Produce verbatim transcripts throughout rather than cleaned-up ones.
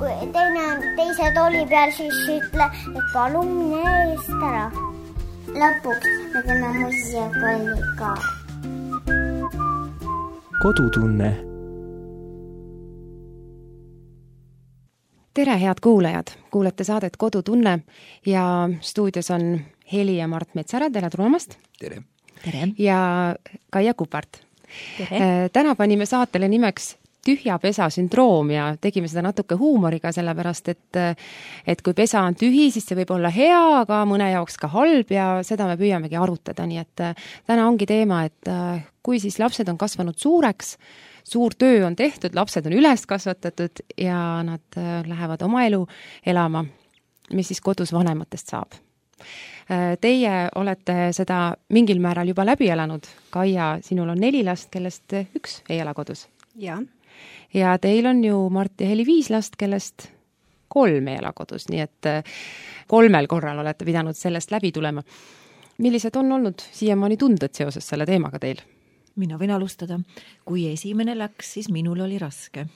kui teine on teise tooli peal, siis ütle, et palun mine eest ära. Lõpuks me teeme muusikakolli ka. Kodutunne. Tere, head kuulajad! Kuulete saadet Kodutunne ja stuudios on Heli ja Mart Metsara. Tere tulemast! Tere! Tere! Ja Kaia Kupart. Tere! Täna panime saatele nimeks tühja pesa sündroom ja tegime seda natuke huumoriga, sellepärast et, et kui pesa on tühi, siis see võib olla hea, aga mõne jaoks ka halb ja seda me püüamegi arutada. Nii et täna ongi teema, et kui siis lapsed on kasvanud suureks, suur töö on tehtud, lapsed on üles kasvatatud ja nad lähevad oma elu elama, mis siis kodus vanematest saab. Teie olete seda mingil määral juba läbi elanud. Kaia, sinul on neli last, kellest üks ei ela kodus. Ja. Ja teil on ju Mart ja Heli viis last, kellest kolm ei ela kodus, nii et kolmel korral olete pidanud sellest läbi tulema. Millised on olnud siiamaani tunded seoses selle teemaga teil? Mina võin alustada. Kui esimene läks, siis minul oli raske.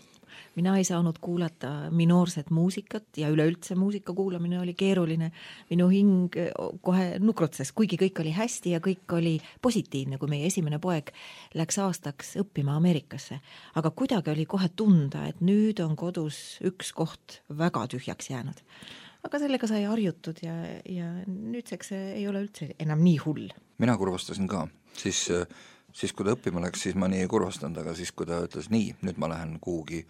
Mina ei saanud kuulata minoorset muusikat ja üleüldse muusika kuulamine oli keeruline. Minu hing kohe nukrutses, kuigi kõik oli hästi ja kõik oli positiivne, kui meie esimene poeg läks aastaks õppima Ameerikasse. Aga kuidagi oli kohe tunda, et nüüd on kodus üks koht väga tühjaks jäänud. Aga sellega sai harjutud ja, ja nüüdseks ei ole üldse enam nii hull. Mina kurvastasin ka, siis... Siis kui ta õppima läks, siis ma nii ei kurvastanud, aga siis kui ta ütles nii, nüüd ma lähen kuhugi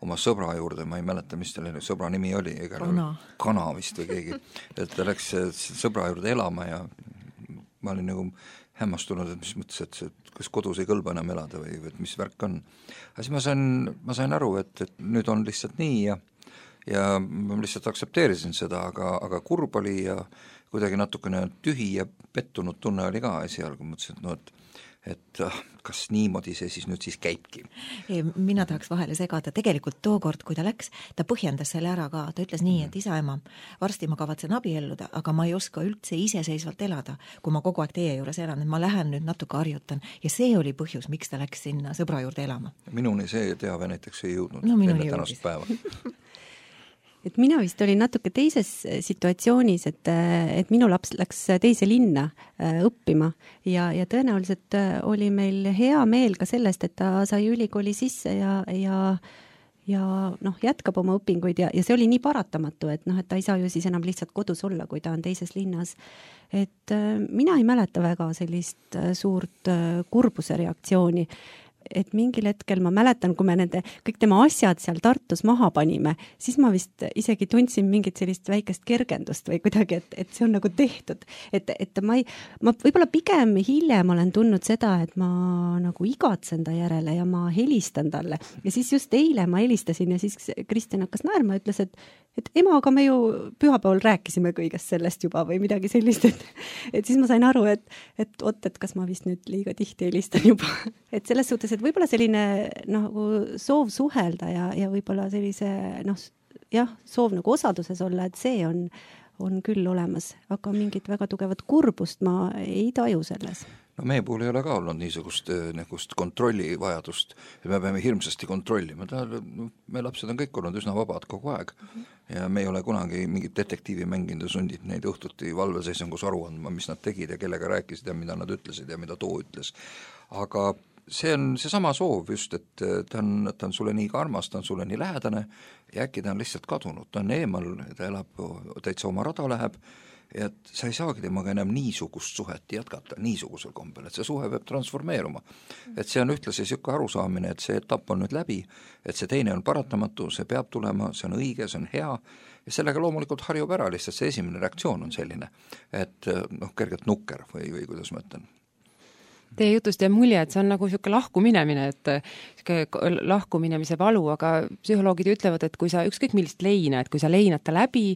oma sõbra juurde, ma ei mäleta, mis tal sõbra nimi oli, Kana. Kana vist või keegi, et ta läks sõbra juurde elama ja ma olin nagu hämmastunud, et mis mõttes, et kas kodus ei kõlba enam elada või et mis värk on. Aga siis ma sain, ma sain aru, et, et nüüd on lihtsalt nii ja, ja ma lihtsalt aksepteerisin seda, aga, aga kurb oli ja kuidagi natukene tühi ja pettunud tunne oli ka esialgu, mõtlesin, et no, et et kas niimoodi see siis nüüd siis käibki? Mina tahaks vahele segada. Tegelikult tookord, kui ta läks, ta põhjendas selle ära ka. Ta ütles nii, et isa ema, varsti ma kavatsen abielluda, aga ma ei oska üldse iseseisvalt elada, kui ma kogu aeg teie juures elan, et ma lähen nüüd natuke harjutan. Ja see oli põhjus, miks ta läks sinna sõbra juurde elama. Minuni see teave näiteks ei jõudnud no, enne tänast päeva. Et mina vist olin natuke teises situatsioonis, et, et minu laps läks teise linna õppima ja, ja tõenäoliselt oli meil hea meel ka sellest, et ta sai ülikooli sisse ja, ja, ja noh, jätkab oma õpinguid ja, ja see oli nii paratamatu, et, noh, et ta ei saa ju siis enam lihtsalt kodus olla, kui ta on teises linnas. Et mina ei mäleta väga sellist suurt kurbuse reaktsiooni. Et mingil hetkel ma mäletan, kui me nende kõik tema asjad seal Tartus maha panime, siis ma vist isegi tundsin mingit sellist väikest kergendust või kuidagi, et, et see on nagu tehtud. Et, et ma, ei, ma võib-olla pigem hiljem olen tundnud seda, et ma nagu igatsen ta järele ja ma helistan talle. Ja siis just eile ma helistasin ja siis Kristjan hakkas naerma ja ütles, et, et ema, aga me ju pühapäeval rääkisime kõigest sellest juba või midagi sellist. Et, et siis ma sain aru, et, et oot, et kas ma vist nüüd liiga tihti helistan juba. Et selles suhtes, et võib-olla selline nagu soov suhelda ja, ja võib-olla sellise noh, jah, soov nagu osaduses olla, et see on, on küll olemas, aga mingit väga tugevat kurbust ma ei taju selles. No meie puhul ei ole ka olnud niisugust niisugust kontrolli vajadust, et me peame hirmsasti kontrollima. Ta, me lapsed on kõik olnud üsna vabad kogu aeg ja me ei ole kunagi mingit detektiivi mänginud ja sundid neid õhtuti valveseisungus aru andma, mis nad tegid ja kellega rääkisid ja mida nad ütlesid ja mida too ütles. Aga see on see sama soov just, et ta on, ta on sulle nii armas, ta on sulle nii lähedane ja äkki ta on lihtsalt kadunud, ta on eemal, ta elab, täitsa oma rada läheb ja et sa ei saagi temaga enam niisugust suhet jätkata, niisugusel kombel, et see suhe peab transformeeruma. Et see on ühtlasi siuke arusaamine, et see etapp on nüüd läbi, et see teine on paratamatu, see peab tulema, see on õige, see on hea ja sellega loomulikult harjub ära, lihtsalt see esimene reaktsioon on selline, et noh, kergelt nukker või, või kuidas ma ütlen. Teie jutust jääb mulje, et see on nagu siuke lahkuminemine, et lahkuminemise valu, aga psühholoogid ütlevad, et kui sa ükskõik millist leina, et kui sa leinad ta läbi,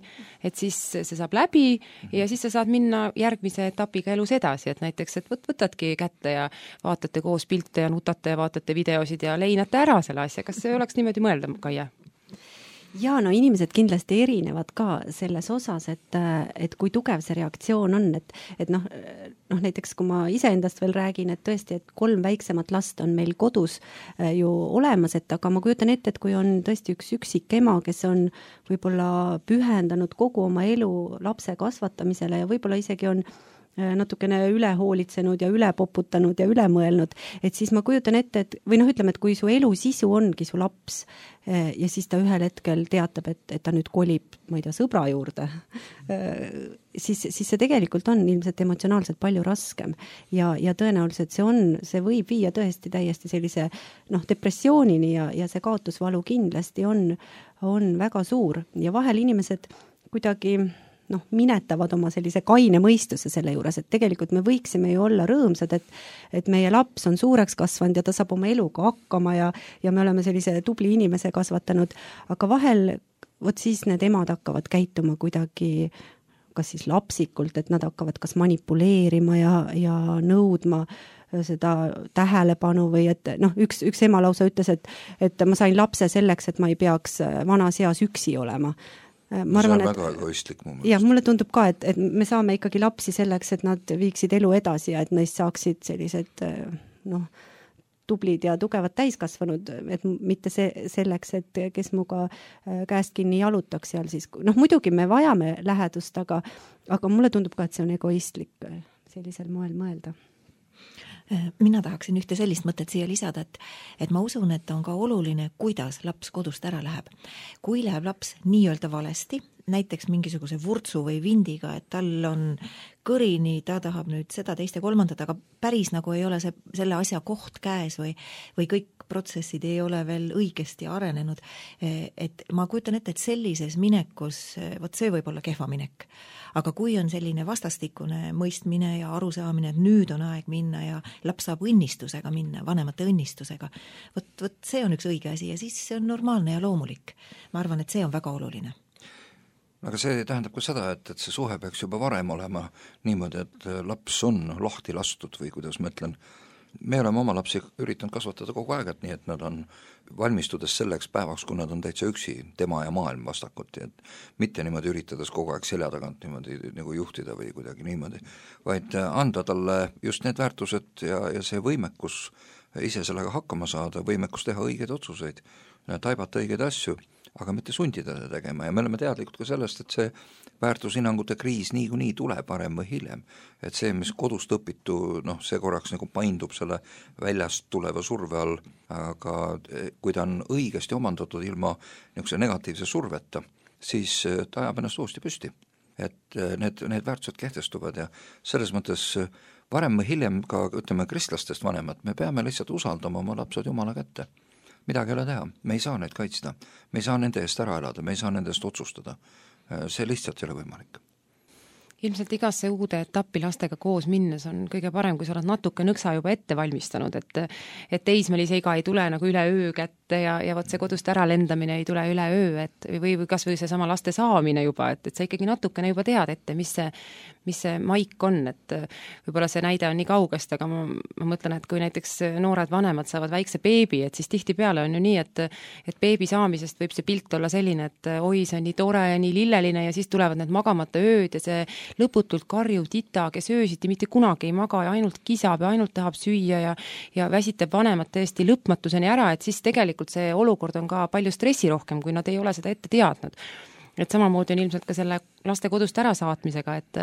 et siis see saab läbi ja siis sa saad minna järgmise etapiga elus edasi, et näiteks, et võt, võtadki kätte ja vaatate koos pilte ja nutate ja vaatate videosid ja leinate ära selle asja. Kas see oleks niimoodi mõelda, Kaia? ja no inimesed kindlasti erinevad ka selles osas, et, et kui tugev see reaktsioon on, et, et noh, noh näiteks kui ma iseendast veel räägin, et tõesti, et kolm väiksemat last on meil kodus ju olemas, et aga ma kujutan ette, et kui on tõesti üks üksik ema, kes on võib-olla pühendanud kogu oma elu lapse kasvatamisele ja võib-olla isegi on natukene üle hoolitsenud ja üle poputanud ja üle mõelnud, et siis ma kujutan ette, et või noh, ütleme, et kui su elu sisu ongi su laps ja siis ta ühel hetkel teatab, et, et ta nüüd kolib, ma ei tea, sõbra juurde, siis, siis see tegelikult on ilmselt emotsionaalselt palju raskem ja, ja tõenäoliselt see on, see võib viia tõesti täiesti sellise noh, depressioonini ja, ja see kaotusvalu kindlasti on, on väga suur ja vahel inimesed kuidagi noh, minetavad oma sellise kaine mõistuse selle juures, et tegelikult me võiksime ju olla rõõmsad, et, et meie laps on suureks kasvanud ja ta saab oma eluga hakkama ja, ja me oleme sellise tubli inimese kasvatanud, aga vahel vot siis need emad hakkavad käituma kuidagi kas siis lapsikult, et nad hakkavad kas manipuleerima ja, ja nõudma seda tähelepanu või et noh, üks, üks ema lausa ütles, et, et ma sain lapse selleks, et ma ei peaks vanas eas üksi olema. Ma arvan, see on väga egoistlik mu mõelest. Ja mulle tundub ka, et, et me saame ikkagi lapsi selleks, et nad viiksid elu edasi ja et neist saaksid sellised noh, tublid ja tugevad täiskasvanud, et mitte see, selleks, et kes muga käest kinni jalutaks seal siis. Noh, muidugi me vajame lähedust, aga, aga mulle tundub ka, et see on egoistlik sellisel moel mõelda. Mina tahaksin ühte sellist mõtet siia lisada, et, et ma usun, et on ka oluline, kuidas laps kodust ära läheb. Kui läheb laps nii-öelda valesti, näiteks mingisuguse vurtsu või vindiga, et tal on kõrini, ta tahab nüüd seda, teist ja kolmandat, aga päris nagu ei ole see, selle asja koht käes või, või kõik protsessid ei ole veel õigesti arenenud. Et ma kujutan ette, et sellises minekus, vot see võib olla kehva minek. Aga kui on selline vastastikune mõistmine ja arusaamine, et nüüd on aeg minna ja laps saab õnnistusega minna, vanemate õnnistusega, vot, vot see on üks õige asi ja siis see on normaalne ja loomulik. Ma arvan, et see on väga oluline. Aga see tähendab ka seda, et, et see suhe peaks juba varem olema niimoodi, et laps on lahti lastud või kuidas ma ütlen, me oleme oma lapsi üritanud kasvatada kogu aeg, et nii, et nad on valmistudes selleks päevaks, kui nad on täitsa üksi, tema ja maailm vastakuti, et mitte niimoodi üritades kogu aeg selja tagant niimoodi nagu juhtida või kuidagi niimoodi, vaid anda talle just need väärtused ja, ja see võimekus ise sellega hakkama saada, võimekus teha õigeid otsuseid, taibata õigeid asju, aga mitte sundida teda tegema ja me oleme teadlikud ka sellest, et see väärtushinnangute kriis niikuinii tuleb varem või hiljem. Et see, mis kodust õpitu, noh, see korraks nagu paindub selle väljast tuleva surve all, aga kui ta on õigesti omandatud ilma niisuguse negatiivse surveta, siis ta ajab ennast uuesti püsti. Et need, need väärtused kehtestuvad ja selles mõttes varem või hiljem ka, ütleme, kristlastest vanemad, me peame lihtsalt usaldama oma lapsed Jumala kätte. Midagi ei ole teha, me ei saa neid kaitsta, me ei saa nende eest ära elada, me ei saa nende eest otsustada. See lihtsalt ei ole võimalik. Ilmselt igasse uude etappi lastega koos minnes on kõige parem, kui sa oled natuke nõksa juba ette valmistanud, et, et teismelise iga ei tule nagu üle öö kätte ja, ja vot see kodust ära lendamine ei tule üle öö, et või, või kas või see sama laste saamine juba, et, et sa ikkagi natukene juba tead ette, mis see, mis see maik on, et võib-olla see näide on nii kaugest, aga ma, ma mõtlen, et kui näiteks noored vanemad saavad väikse beebi, et siis tihtipeale on ju nii, et, et beebi saamisest võib see pilt olla selline, et oi, see on nii tore ja nii lilleline ja siis tulevad need magamata ööd ja see lõputult karjuv tita, kes öösiti mitte kunagi ei maga ja ainult kisab ja ainult tahab süüa ja, ja väsitab vanemad tõesti lõpmatuseni ära, et siis tegelikult see olukord on ka palju stressirohkem, kui nad ei ole seda ette teadnud. Et samamoodi on ilmselt ka selle laste kodust ära saatmisega, et,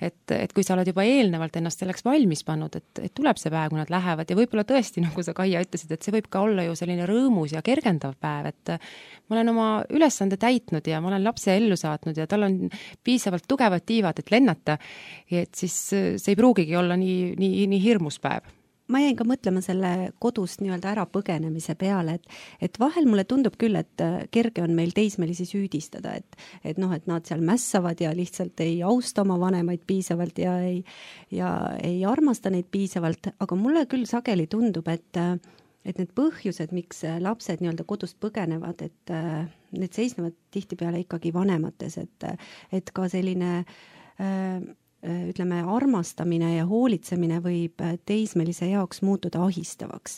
et, et kui sa oled juba eelnevalt ennast selleks valmis pannud, et, et tuleb see päev, kui nad lähevad ja võib-olla tõesti, nagu sa Kaia ütlesid, et see võib ka olla ju selline rõõmus ja kergendav päev, et ma olen oma ülesande täitnud ja ma olen lapse ellu saatnud ja tal on piisavalt tugevad tiivad, et lennata, et siis see ei pruugigi olla nii, nii, nii hirmus päev. Ma jäin ka mõtlema selle kodust nii-öelda ära põgenemise peale, et, et vahel mulle tundub küll, et kerge on meil teismelisi süüdistada, et, et noh, et nad seal mässavad ja lihtsalt ei austa oma vanemaid piisavalt ja ei, ja ei armasta neid piisavalt, aga mulle küll sageli tundub, et, et need põhjused, miks lapsed nii-öelda kodust põgenevad, et need seisnevad tihtipeale ikkagi vanemates, et, et ka selline äh, ütleme, armastamine ja hoolitsemine võib teismelise jaoks muutuda ahistavaks.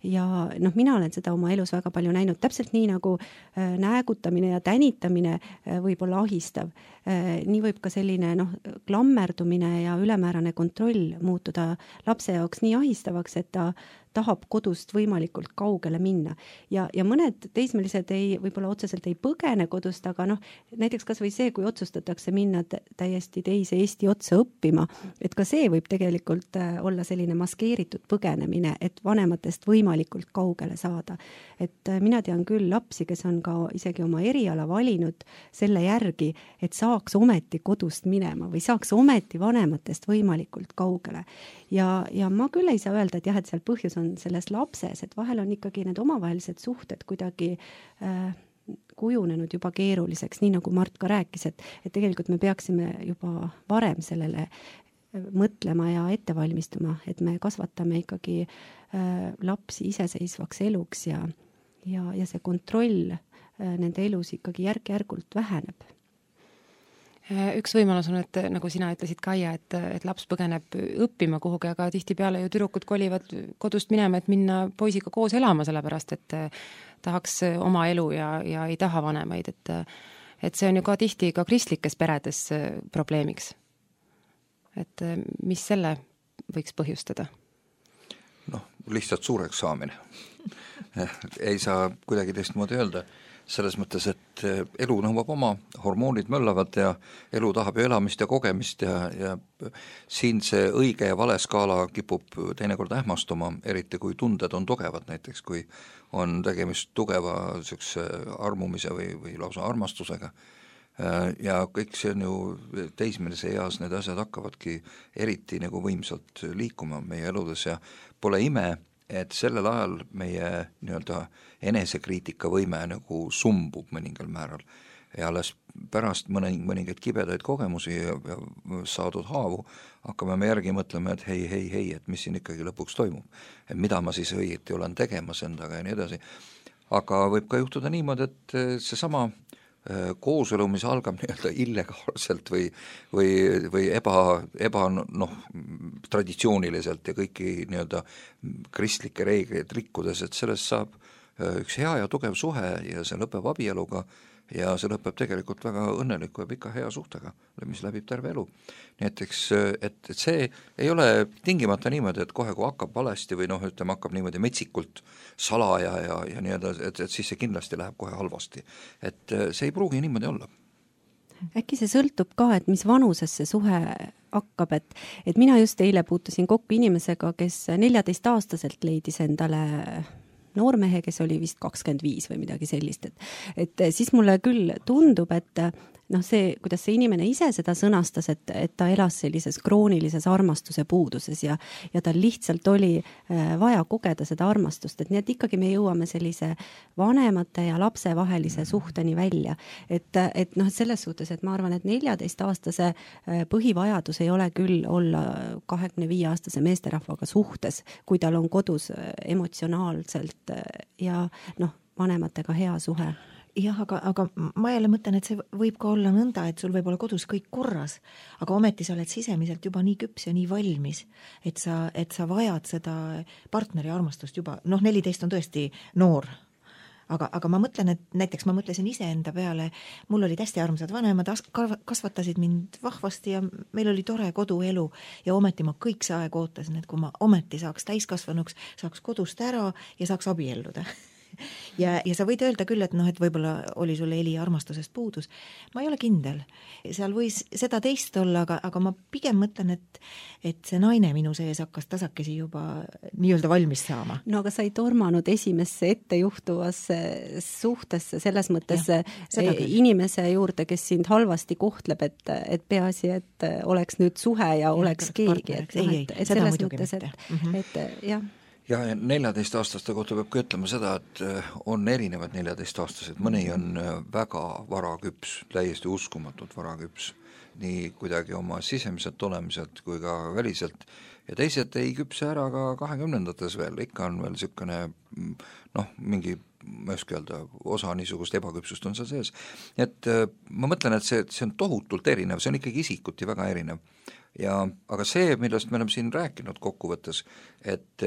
ja noh, mina olen seda oma elus väga palju näinud, täpselt nii nagu äh, näägutamine ja tänitamine äh, võib olla ahistav äh,. nii võib ka selline noh, klammerdumine ja ülemäärane kontroll muutuda lapse jaoks nii ahistavaks, et ta tahab kodust võimalikult kaugele minna. Ja, ja mõned teismelised ei, võib-olla otseselt ei põgene kodust, aga noh, näiteks kas või see, kui otsustatakse minna täiesti teise Eesti otsa õppima, et ka see võib tegelikult olla selline maskeeritud põgenemine, et vanematest võimalikult kaugele saada. Et mina tean küll lapsi, kes on ka isegi oma eriala valinud selle järgi, et saaks ometi kodust minema või saaks ometi vanematest võimalikult kaugele. Ja, ja ma küll ei saa öelda, et jah, et seal põhjus on selles lapses, et vahel on ikkagi need omavahelised suhted kuidagi äh, kujunenud juba keeruliseks, nii nagu Mart ka rääkis, et, et tegelikult me peaksime juba varem sellele mõtlema ja ette valmistuma, et me kasvatame ikkagi äh, lapsi iseseisvaks eluks ja, ja, ja see kontroll äh, nende elus ikkagi järk-järgult väheneb. Üks võimalus on, et nagu sina ütlesid, Kaia, et, et laps põgeneb õppima kuhugi, aga tihtipeale ju tüdrukud kolivad kodust minema, et minna poisiga koos elama, sellepärast et tahaks oma elu ja, ja ei taha vanemaid, et, et see on ju ka tihti ka kristlikes peredes probleemiks. Et mis selle võiks põhjustada? Noh, lihtsalt suureks saamine. Ei saa kuidagi teistmoodi öelda. Selles mõttes, et elu nõuab oma, hormoonid möllavad ja elu tahab ju elamist ja kogemist ja, ja siin see õige ja vale skaala kipub teinekord ähmastuma, eriti kui tunded on tugevad, näiteks kui on tegemist tugeva niisuguse armumise või, või lausa armastusega. Ja kõik see on ju teismelise eas, need asjad hakkavadki eriti nagu võimsalt liikuma meie eludes ja pole ime, et sellel ajal meie nii-öelda enesekriitika võime nagu sumbub mõningal määral ja alles pärast mõning, mõningaid kibedaid kogemusi ja, ja saadud haavu hakkame me järgi mõtlema, et hei, hei, hei, et mis siin ikkagi lõpuks toimub, et mida ma siis õieti olen tegemas endaga ja nii edasi. Aga võib ka juhtuda niimoodi, et seesama kooselu, mis algab nii-öelda illegaalselt või, või, või eba, eba noh, traditsiooniliselt ja kõiki nii-öelda kristlikke reegleid rikkudes, et sellest saab üks hea ja tugev suhe ja see lõpeb abieluga ja see lõpeb tegelikult väga õnneliku ja pika hea suhtega, mis läbib terve elu. Näiteks, et, et see ei ole tingimata niimoodi, et kohe kui hakkab valesti või noh, ütleme, hakkab niimoodi metsikult salaja ja, ja nii edasi, et, et siis see kindlasti läheb kohe halvasti. Et see ei pruugi niimoodi olla. Äkki see sõltub ka, et mis vanuses see suhe hakkab, et, et mina just eile puutusin kokku inimesega, kes neljateistaastaselt leidis endale noormehe, kes oli vist kakskümmend viis või midagi sellist, et, et siis mulle küll tundub, et noh, see, kuidas see inimene ise seda sõnastas, et, et ta elas sellises kroonilises armastuse puuduses ja, ja tal lihtsalt oli vaja kogeda seda armastust, et nii, et ikkagi me jõuame sellise vanemate ja lapse vahelise suhteni välja. Et, et noh, selles suhtes, et ma arvan, et neljateist-aastase põhivajadus ei ole küll olla kahekümne viie aastase meesterahvaga suhtes, kui tal on kodus emotsionaalselt ja noh, vanematega hea suhe. Jah, aga, aga ma jälle mõtlen, et see võib ka olla nõnda, et sul võib olla kodus kõik korras, aga ometi sa oled sisemiselt juba nii küps ja nii valmis, et sa, et sa vajad seda partneri armastust juba, noh, neliteist on tõesti noor, aga, aga ma mõtlen, et näiteks ma mõtlesin iseenda peale, mul olid hästi armsad vanemad, kasvatasid mind vahvasti ja meil oli tore koduelu ja ometi ma kõik see aeg ootasin, et kui ma ometi saaks täiskasvanuks, saaks kodust ära ja saaks abielluda. Ja, ja sa võid öelda küll, et noh, et võib-olla oli sul Eli armastusest puudus. Ma ei ole kindel. Seal võis seda teist olla, aga, aga ma pigem mõtlen, et, et see naine minu sees hakkas tasakesi juba nii-öelda valmis saama. No aga sa ei tormanud esimesse ettejuhtuvasse suhtesse selles mõttes ja, inimese juurde, kes sind halvasti kohtleb, et, et peaasi, et oleks nüüd suhe ja, ja oleks keegi. Et, ei, ei, et seda muidugi mõttes, mitte. Et, mm-hmm. et, jah. Ja neljateist-aastaste kohta peab ka ütlema seda, et on erinevad neljateist-aastased, mõni on väga varaküps, täiesti uskumatult varaküps, nii kuidagi oma sisemiselt olemiselt kui ka väliselt ja teised ei küpse ära ka kahekümnendates veel, ikka on veel niisugune noh, mingi ma ei oska öelda, osa niisugust ebaküpsust on seal sees. Et ma mõtlen, et see, see on tohutult erinev, see on ikkagi isikuti väga erinev. Ja, aga see, millest me oleme siin rääkinud kokkuvõttes, et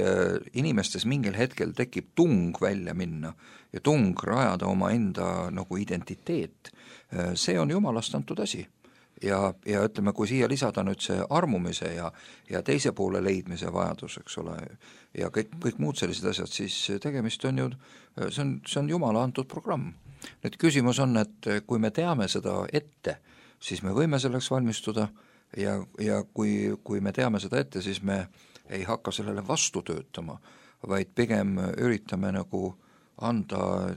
inimestes mingil hetkel tekib tung välja minna ja tung rajada oma enda nagu identiteet, see on jumalast antud asi. Ja, ja ütleme, kui siia lisada nüüd see armumise ja, ja teise poole leidmise vajadus, eks ole, ja kõik, kõik muud sellised asjad, siis tegemist on ju, see on, see on jumala antud programm. Nüüd küsimus on, et kui me teame seda ette, siis me võime selleks valmistuda ja, ja kui, kui me teame seda ette, siis me ei hakka sellele vastu töötama, vaid pigem üritame nagu anda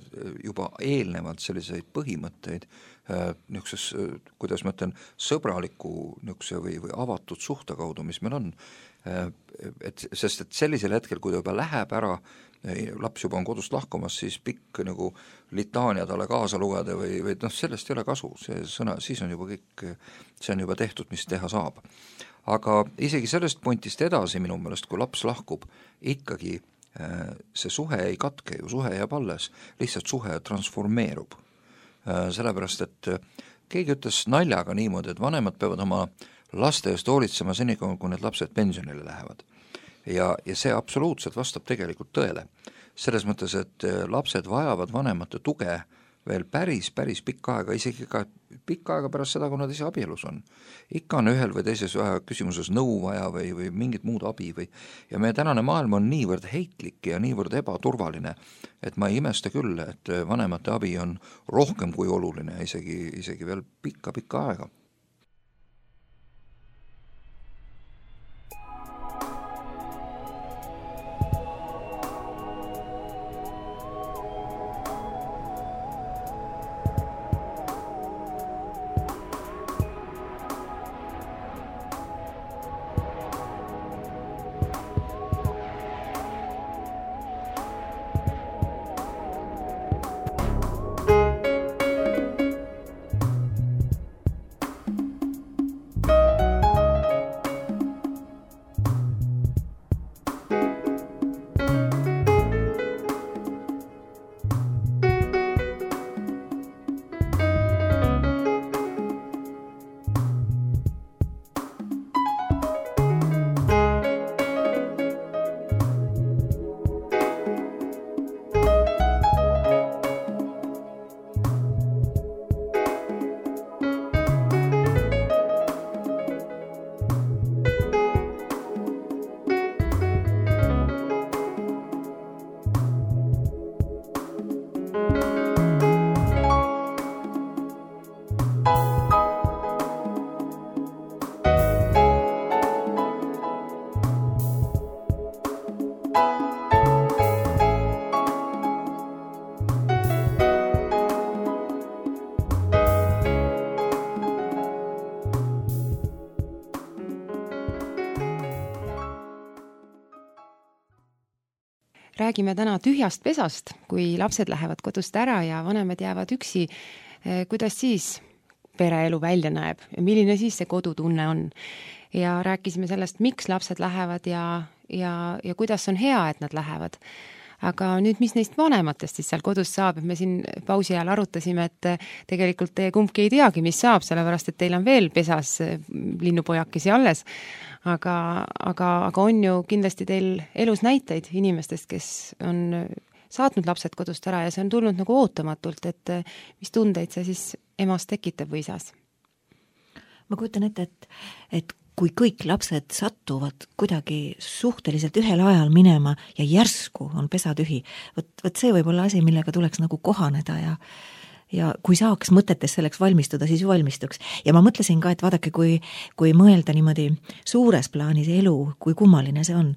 juba eelnevalt selliseid põhimõtteid niisuguses, kuidas ma ütlen, sõbraliku niisuguse või, või avatud suhte kaudu, mis meil on. Et, sest et sellisel hetkel, kui ta juba läheb ära, laps juba on kodust lahkumas, siis pikk nagu litaania talle kaasa lugeda või, või noh, sellest ei ole kasu, see sõna, siis on juba kõik, see on juba tehtud, mis teha saab. Aga isegi sellest pointist edasi minu meelest, kui laps lahkub, ikkagi see suhe ei katke ju, suhe jääb alles, lihtsalt suhe transformeerub. Sellepärast, et keegi ütles naljaga niimoodi, et vanemad peavad oma laste eest hoolitsema seni, kui need lapsed pensionile lähevad. Ja, ja see absoluutselt vastab tegelikult tõele. Selles mõttes, et lapsed vajavad vanemate tuge veel päris, päris pikka aega, isegi ka pikka aega pärast seda, kui nad ise abielus on. Ikka on ühel või teises küsimuses nõu vaja või, või mingit muud abi või, ja meie tänane maailm on niivõrd heitlik ja niivõrd ebaturvaline, et ma ei imesta küll, et vanemate abi on rohkem kui oluline, isegi, isegi veel pikka-pikka aega. Räägime täna tühjast pesast, kui lapsed lähevad kodust ära ja vanemad jäävad üksi. Kuidas siis pereelu välja näeb ja milline siis see kodutunne on? Ja rääkisime sellest, miks lapsed lähevad ja, ja, ja kuidas on hea, et nad lähevad. Aga nüüd, mis neist vanematest siis seal kodus saab, et me siin pausi ajal arutasime, et tegelikult teie kumbki ei teagi, mis saab, sellepärast, et teil on veel pesas linnupojakesi alles. Aga, aga, aga on ju kindlasti teil elus näiteid inimestest, kes on saatnud lapsed kodust ära ja see on tulnud nagu ootamatult, et mis tundeid see siis emas tekitab või isas? Ma kujutan ette, et, et kui kõik lapsed satuvad kuidagi suhteliselt ühel ajal minema ja järsku on pesa tühi, võt, võt see võib olla asi, millega tuleks nagu kohaneda ja ja kui saaks mõtetes selleks valmistuda, siis valmistuks. Ja ma mõtlesin ka, et vaadake, kui, kui mõelda niimoodi suures plaanis elu, kui kummaline see on.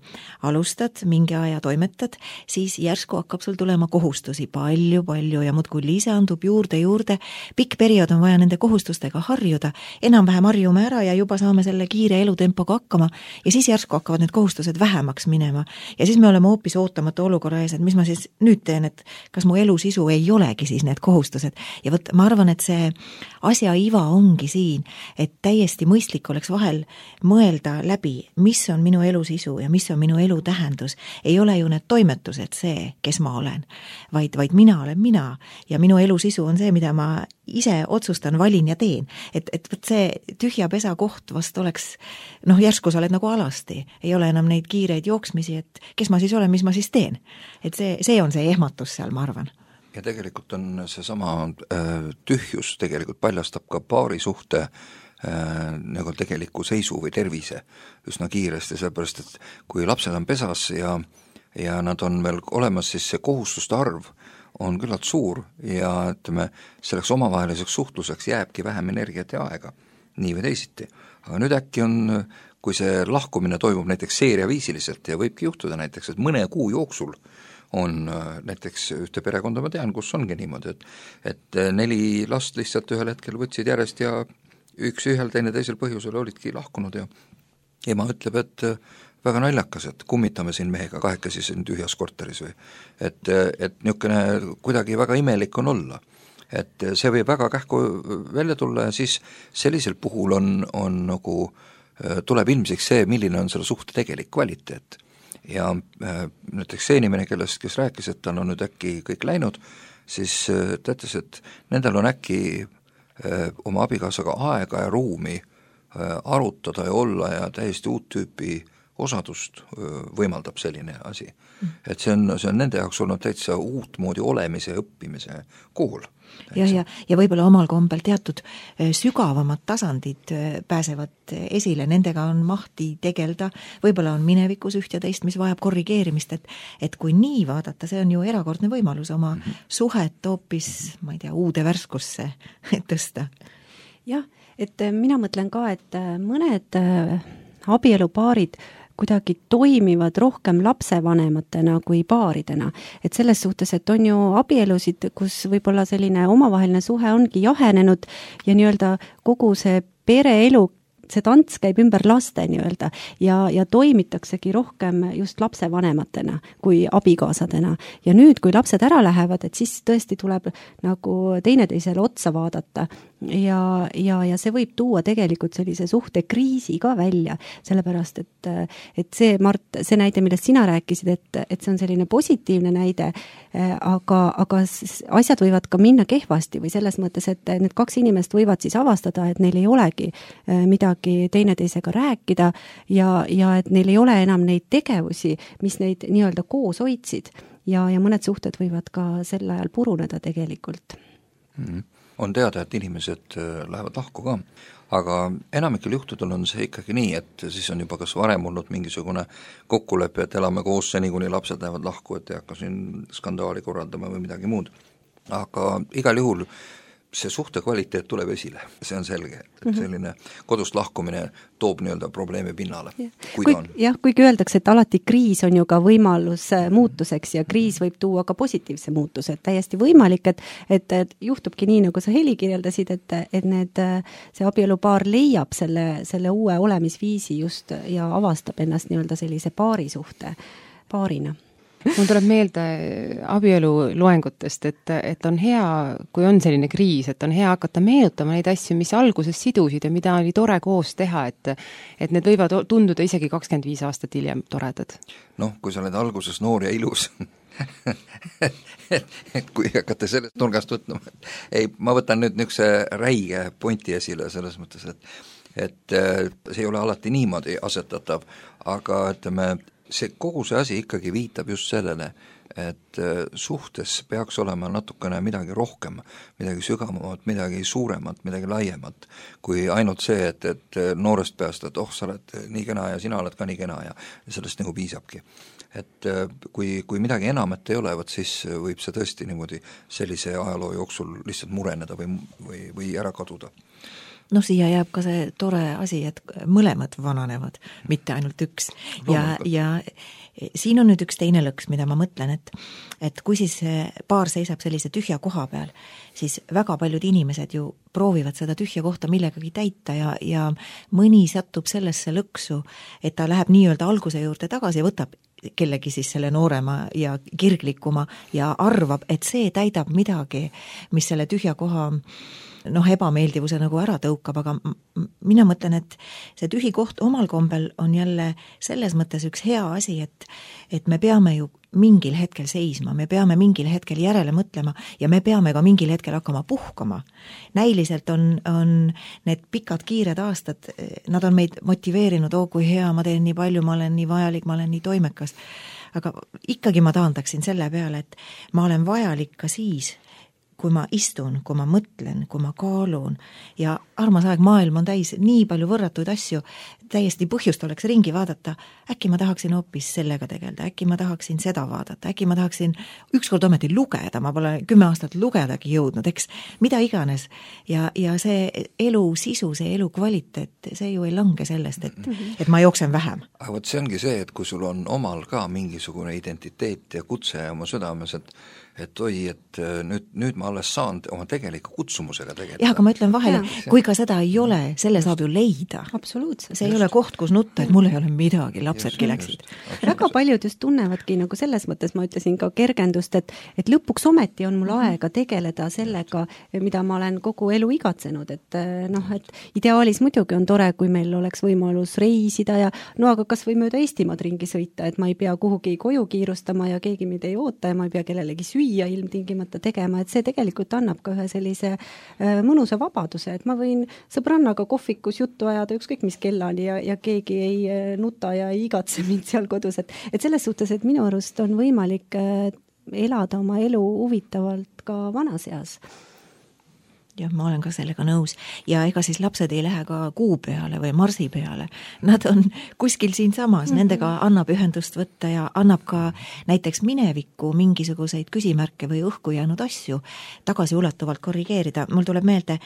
Alustad, mingi aja toimetad, siis järsku hakkab sul tulema kohustusi palju, palju ja muudkui lisandub juurde, juurde. Pikk periood on vaja nende kohustustega harjuda, enam-vähem harjume ära ja juba saame selle kiire elutempoga hakkama ja siis järsku hakkavad need kohustused vähemaks minema. Ja siis me oleme hoopis ootamatu olukorra ees, et mis ma siis nüüd teen, et kas mu elu sisu ei olegi siis need kohustused. ja vot ma arvan, et see asja iva ongi siin, et täiesti mõistlik oleks vahel mõelda läbi, mis on minu elu sisu ja mis on minu elu tähendus. Ei ole ju need toimetused see, kes ma olen, vaid, vaid mina olen mina ja minu elu sisu on see, mida ma ise otsustan, valin ja teen. Et, et võt see tühja pesa koht vast oleks, noh, järsku sa oled nagu alasti, ei ole enam neid kiireid jooksmisi, et kes ma siis olen, mis ma siis teen. Et see, see on see ehmatus seal, ma arvan. Ja tegelikult on seesama äh, tühjus tegelikult paljastab ka paari suhte äh, nagu tegeliku seisu või tervise üsna kiiresti, sellepärast et kui lapsed on pesas ja, ja nad on veel olemas, siis see kohustuste arv on küllalt suur ja ütleme, selleks omavaheliseks suhtluseks jääbki vähem energiat ja aega, nii või teisiti. Aga nüüd äkki on, kui see lahkumine toimub näiteks seeriaviisiliselt ja võibki juhtuda näiteks, et mõne kuu jooksul on näiteks ühte perekonda, ma tean, kus ongi niimoodi, et, et neli last lihtsalt ühel hetkel võtsid järjest ja üks ühel, teine teisel põhjusel olidki lahkunud ja ema ütleb, et väga naljakas, et kummitame siin mehega kahekesi siin tühjas korteris või et, et niisugune kuidagi väga imelik on olla. Et see võib väga kähku välja tulla ja siis sellisel puhul on, on nagu, tuleb ilmsiks see, milline on selle suhte tegelik kvaliteet. Ja äh, näiteks see inimene, kellest, kes rääkis, et tal on nüüd äkki kõik läinud, siis äh, ta ütles, et nendel on äkki äh, oma abikaasaga aega ja ruumi äh, arutada ja olla ja täiesti uut tüüpi osadust äh, võimaldab selline asi. Mm. Et see on, see on nende jaoks olnud täitsa uut moodi olemise ja õppimise kool. Ja, ja, ja võib-olla omal kombel teatud sügavamad tasandid pääsevad esile, nendega on mahti tegelda, võib-olla on minevikus üht ja teist, mis vajab korrigeerimist, et, et kui nii vaadata, see on ju erakordne võimalus oma mm -hmm. suhet hoopis, ma ei tea, uude värskusse tõsta. Jah, et mina mõtlen ka, et mõned abielupaarid kuidagi toimivad rohkem lapsevanematena kui paaridena. Et selles suhtes, et on ju abielusid, kus võib-olla selline omavaheline suhe ongi jahenenud ja nii-öelda kogu see pereelu, see tants käib ümber laste nii-öelda ja, ja toimitaksegi rohkem just lapsevanematena kui abikaasadena. Ja nüüd, kui lapsed ära lähevad, et siis tõesti tuleb nagu teineteisele otsa vaadata ja, ja, ja see võib tuua tegelikult sellise suhte kriisi ka välja, sellepärast et, et see, Mart, see näide, millest sina rääkisid, et, et see on selline positiivne näide, aga, aga asjad võivad ka minna kehvasti või selles mõttes, et need kaks inimest võivad siis avastada, et neil ei olegi midagi teineteisega rääkida ja, ja et neil ei ole enam neid tegevusi, mis neid nii-öelda koos hoidsid ja, ja mõned suhted võivad ka sel ajal puruneda tegelikult. Mm-hmm. On teada, et inimesed lähevad lahku ka, aga enamikel juhtudel on see ikkagi nii, et siis on juba kas varem olnud mingisugune kokkulepe, et elame koos seni, kuni lapsed lähevad lahku, et ei hakka siin skandaali korraldama või midagi muud. Aga igal juhul see suhte kvaliteet tuleb esile, see on selge, et selline kodust lahkumine toob nii-öelda probleemi pinnale, ja. kui kui, ta on. jah, kuigi öeldakse, et alati kriis on ju ka võimalus muutuseks ja kriis võib tuua ka positiivse muutuse, et täiesti võimalik, et, et, et juhtubki nii, nagu sa Heli kirjeldasid, et, et need, see abielupaar leiab selle, selle uue olemisviisi just ja avastab ennast nii-öelda sellise paarisuhte paarina. Mul tuleb meelde abielu loengutest, et, et on hea, kui on selline kriis, et on hea hakata meenutama neid asju, mis alguses sidusid ja mida oli tore koos teha, et, et need võivad tunduda isegi kakskümmend viis aastat hiljem toredad. Noh, kui sa oled alguses noor ja ilus, et, et kui hakata sellest nurgast võtma, ei, ma võtan nüüd niisuguse räige pointi esile selles mõttes, et, et see ei ole alati niimoodi asetatav, aga ütleme, see kogu see asi ikkagi viitab just sellele, et suhtes peaks olema natukene midagi rohkem, midagi sügavamat, midagi suuremat, midagi laiemat, kui ainult see, et, et noorest peast, et oh, sa oled nii kena ja sina oled ka nii kena ja sellest nagu piisabki. Et kui, kui midagi enamat ei ole, võt siis võib see tõesti niimoodi sellise ajaloo jooksul lihtsalt mureneda või, või, või ära kaduda. No siia jääb ka see tore asi, et mõlemad vananevad, mitte ainult üks. Ja, ja siin on nüüd üks teine lõks, mida ma mõtlen, et, et kui siis paar seisab sellise tühja koha peal, siis väga paljud inimesed ju proovivad seda tühja kohta millegagi täita ja, ja mõni satub sellesse lõksu, et ta läheb nii-öelda alguse juurde tagasi ja võtab kellegi siis selle noorema ja kirglikuma ja arvab, et see täidab midagi, mis selle tühja koha noh, ebameeldivuse nagu ära tõukab, aga mina mõtlen, et see tühi koht omal kombel on jälle selles mõttes üks hea asi, et, et me peame ju mingil hetkel seisma, me peame mingil hetkel järele mõtlema ja me peame ka mingil hetkel hakkama puhkama. Näiliselt on, on need pikad kiired aastad, nad on meid motiveerinud, oo kui hea, ma teen nii palju, ma olen nii vajalik, ma olen nii toimekas, aga ikkagi ma taandaksin selle peale, et ma olen vajalik ka siis, kui ma istun, kui ma mõtlen, kui ma kaalun ja armas aeg maailm on täis nii palju võrratuid asju, täiesti põhjust oleks ringi vaadata, äkki ma tahaksin hoopis sellega tegelda, äkki ma tahaksin seda vaadata, äkki ma tahaksin ükskord ometi lugeda, ma pole kümme aastat lugedagi jõudnud, eks mida iganes ja, ja see elu sisu, see elu kvaliteet, see ju ei lange sellest, et, et ma jooksen vähem. Aga võt see ongi see, et kui sul on omal ka mingisugune identiteet ja kutse oma südames, et et oi, et nüüd, nüüd ma alles saan oma tegeliku kutsumusega tegeleda. Jah, aga ma ütlen vahele, kui ka seda ei ole, selle saab ju leida. Absoluutselt. See ei just. Ole koht, kus nutta, et mul ei ole midagi, lapsedki läksid. Väga paljud just tunnevadki nagu selles mõttes, ma ütlesin ka kergendust, et, et lõpuks ometi on mul aega tegeleda sellega, mida ma olen kogu elu igatsenud, et noh, et ideaalis muidugi on tore, kui meil oleks võimalus reisida ja no aga kas või mööda Eestimaad ringi sõita, et ma ei pea kuhugi koju kiirustama ja keegi mind ei oota ja ma ei pea kellelegi süüa ja ilmtingimata tegema, et see tegelikult annab ka ühe sellise äh, mõnusa vabaduse, et ma võin sõbrannaga kohvikus juttu ajada ükskõik mis kellani ja, ja keegi ei äh, nuta ja ei igatse mind seal kodus, et, et selles suhtes, et minu arust on võimalik äh, elada oma elu huvitavalt ka vanas eas. Jah, ma olen ka sellega nõus. Ja ega siis lapsed ei lähe ka kuu peale või marsi peale. Nad on kuskil siin samas, nendega annab ühendust võtta ja annab ka näiteks minevikku mingisuguseid küsimärke või õhku jäänud asju tagasiulatuvalt korrigeerida. Mul tuleb meelde,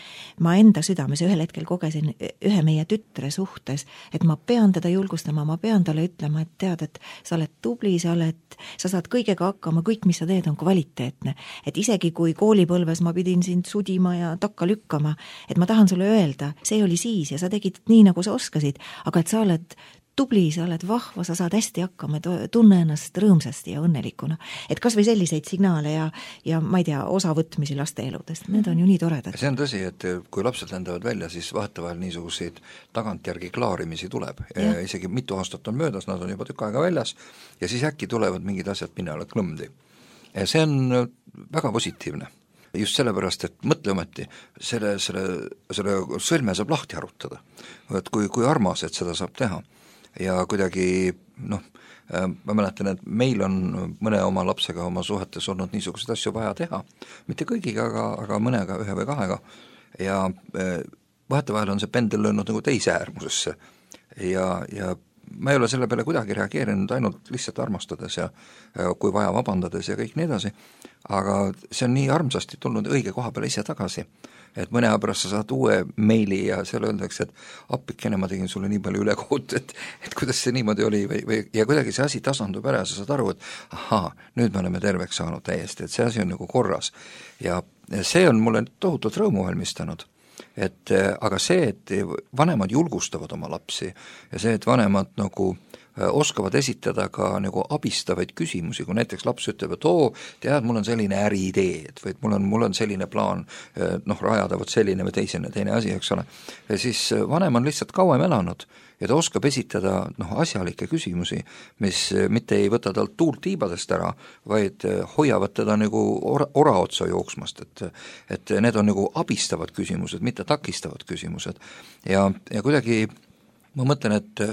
ma enda südames ühel hetkel kogesin ühe meie tütre suhtes, et ma pean teda julgustama, ma pean talle ütlema, et tead, et sa oled tubli, sa oled, sa saad kõigega hakkama, kõik, mis sa teed, on kvaliteetne. Et isegi kui koolipõlves ma pidin sind sudima ja takka lükkama, et ma tahan sulle öelda, see oli siis ja sa tegid nii, nagu sa oskasid, aga et sa oled tubli, sa oled vahva, sa saad hästi hakkama, tunne ennast rõõmsasti ja õnnelikuna. Et kas või selliseid signaale ja, ja ma ei tea, osavõtmisi laste eludest, need on ju nii toredad. See on tõsi, et kui lapsed lendavad välja, siis vahetevahel niisuguseid tagantjärgi klaarimisi tuleb. Ja. Isegi mitu aastat on möödas, nad on juba tükk aega väljas ja siis äkki tulevad mingid asjad pinnale klõmdi. Ja see on väga positiivne. Just sellepärast, et mõtle ometi, selle, selle, selle sõlme saab lahti arutada. Et kui, kui armas, et seda saab teha. Ja kuidagi, noh, ma mäletan, et meil on mõne oma lapsega oma suhetes olnud niisuguseid asju vaja teha. Mitte kõigiga, aga, aga mõnega, ühe või kahega. Ja vahetevahel on see pendel löönud nagu teise äärmusesse. Ja, ja ma ei ole selle peale kuidagi reageerinud, ainult lihtsalt armastades ja kui vaja vabandades ja kõik nii edasi, aga see on nii armsasti tulnud õige koha peale ise tagasi, et mõne aja pärast sa saad uue meili ja seal öeldakse, et appikene, ma tegin sulle nii palju ülekohut, et, et kuidas see niimoodi oli või, või, ja kuidagi see asi tasandub ära ja sa saad aru, et ahaa, nüüd me oleme terveks saanud täiesti, et see asi on nagu korras ja see on mulle tohutult rõõmu valmistanud. Et aga see, et vanemad julgustavad oma lapsi ja see, et vanemad nagu oskavad esitada ka nagu abistavaid küsimusi, kui näiteks laps ütleb, et oo, tead, mul on selline äriidee, et või mul on, mul on selline plaan noh, rajada võt selline või teisene, teine asi, eks ole. Ja siis vanem on lihtsalt kauem elanud ja ta oskab esitada noh, asjalikke küsimusi, mis mitte ei võta talt tuult tiibadest ära, vaid hoiavad teda nagu ora, ora otsa jooksmast, et, et need on nagu abistavad küsimused, mitte takistavad küsimused. Ja, ja kuidagi ma mõtlen, et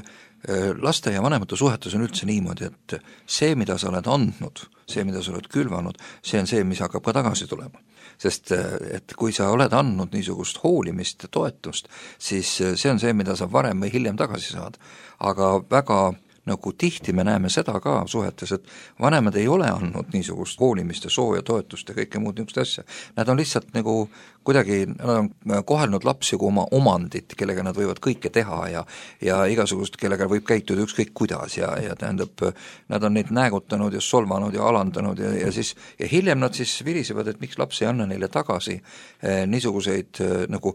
laste ja vanemate suhetes on üldse niimoodi, et see, mida sa oled andnud, see, mida sa oled külvanud, see on see, mis hakkab ka tagasi tulema. Sest et kui sa oled andnud niisugust hoolimist ja toetust, siis see on see, mida sa varem või hiljem tagasi saad. Aga väga nagu tihti me näeme seda ka suhetes, et vanemad ei ole andnud niisugust hoolimist ja sooja toetust ja kõike muud niisugust asja. Nad on lihtsalt nagu kuidagi, nad on kohelnud lapsi kui oma omandit, kellega nad võivad kõike teha ja, ja igasugust, kellega võib käituda ükskõik kuidas ja, ja tähendab, nad on neid näägutanud ja solvanud ja alandanud ja, ja siis, ja hiljem nad siis virisevad, et miks laps ei anna neile tagasi eh, niisuguseid eh, nagu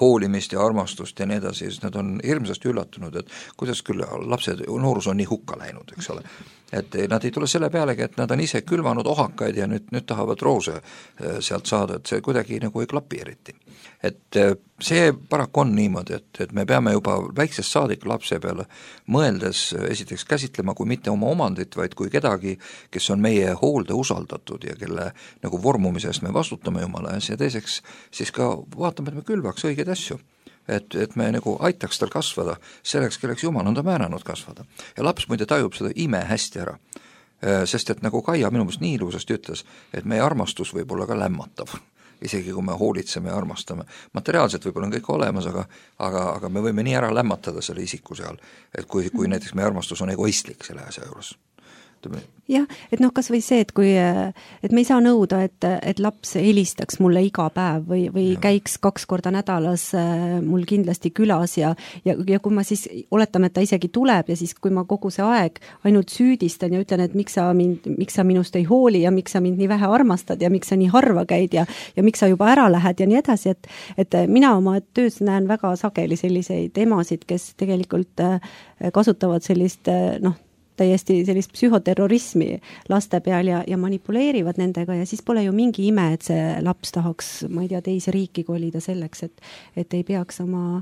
hoolimist ja armastust ja nii edasi, siis nad on hirmsasti üllatunud, et kuidas küll lapsed, noorus on on nii hukka läinud, eks ole. Et nad ei tule selle pealegi, et nad on ise külvanud ohakaid ja nüüd, nüüd tahavad roose sealt saada, et see kuidagi nagu ei klapi eriti. Et see paraku on niimoodi, et, et me peame juba väiksest saadik lapse peale mõeldes esiteks käsitlema kui mitte oma omandit, vaid kui kedagi, kes on meie hoolde usaldatud ja kelle nagu vormumise eest me vastutame jumala ees ja teiseks siis ka vaatame, et me külvaks õigeid asju. Et, et me nagu aitaks tal kasvada selleks, kelleks jumal on ta määranud kasvada. Ja laps muide tajub seda ime hästi ära, sest et nagu Kaia minu meelest nii ilusasti ütles, et meie armastus võib olla ka lämmatav, isegi kui me hoolitseme ja armastame. Materiaalselt võib-olla on kõik olemas, aga, aga, aga me võime nii ära lämmatada selle isiku seal, et kui, kui näiteks meie armastus on egoistlik selle asja juures. jah, et noh, kas või see, et kui, et me ei saa nõuda, et, et laps helistaks mulle iga päev või, või ja. käiks kaks korda nädalas mul kindlasti külas ja, ja, ja kui ma siis oletame, et ta isegi tuleb ja siis, kui ma kogu see aeg ainult süüdistan ja ütlen, et miks sa, mind, miks sa minust ei hooli ja miks sa mind nii vähe armastad ja miks sa nii harva käid ja, ja miks sa juba ära lähed ja nii edasi, et, et mina oma töös näen väga sageli selliseid emasid, kes tegelikult kasutavad sellist, noh, täiesti sellist psühhoterrorismi laste peal ja, ja manipuleerivad nendega ja siis pole ju mingi ime, et see laps tahaks, ma ei tea, teise riiki kolida selleks, et, et ei peaks oma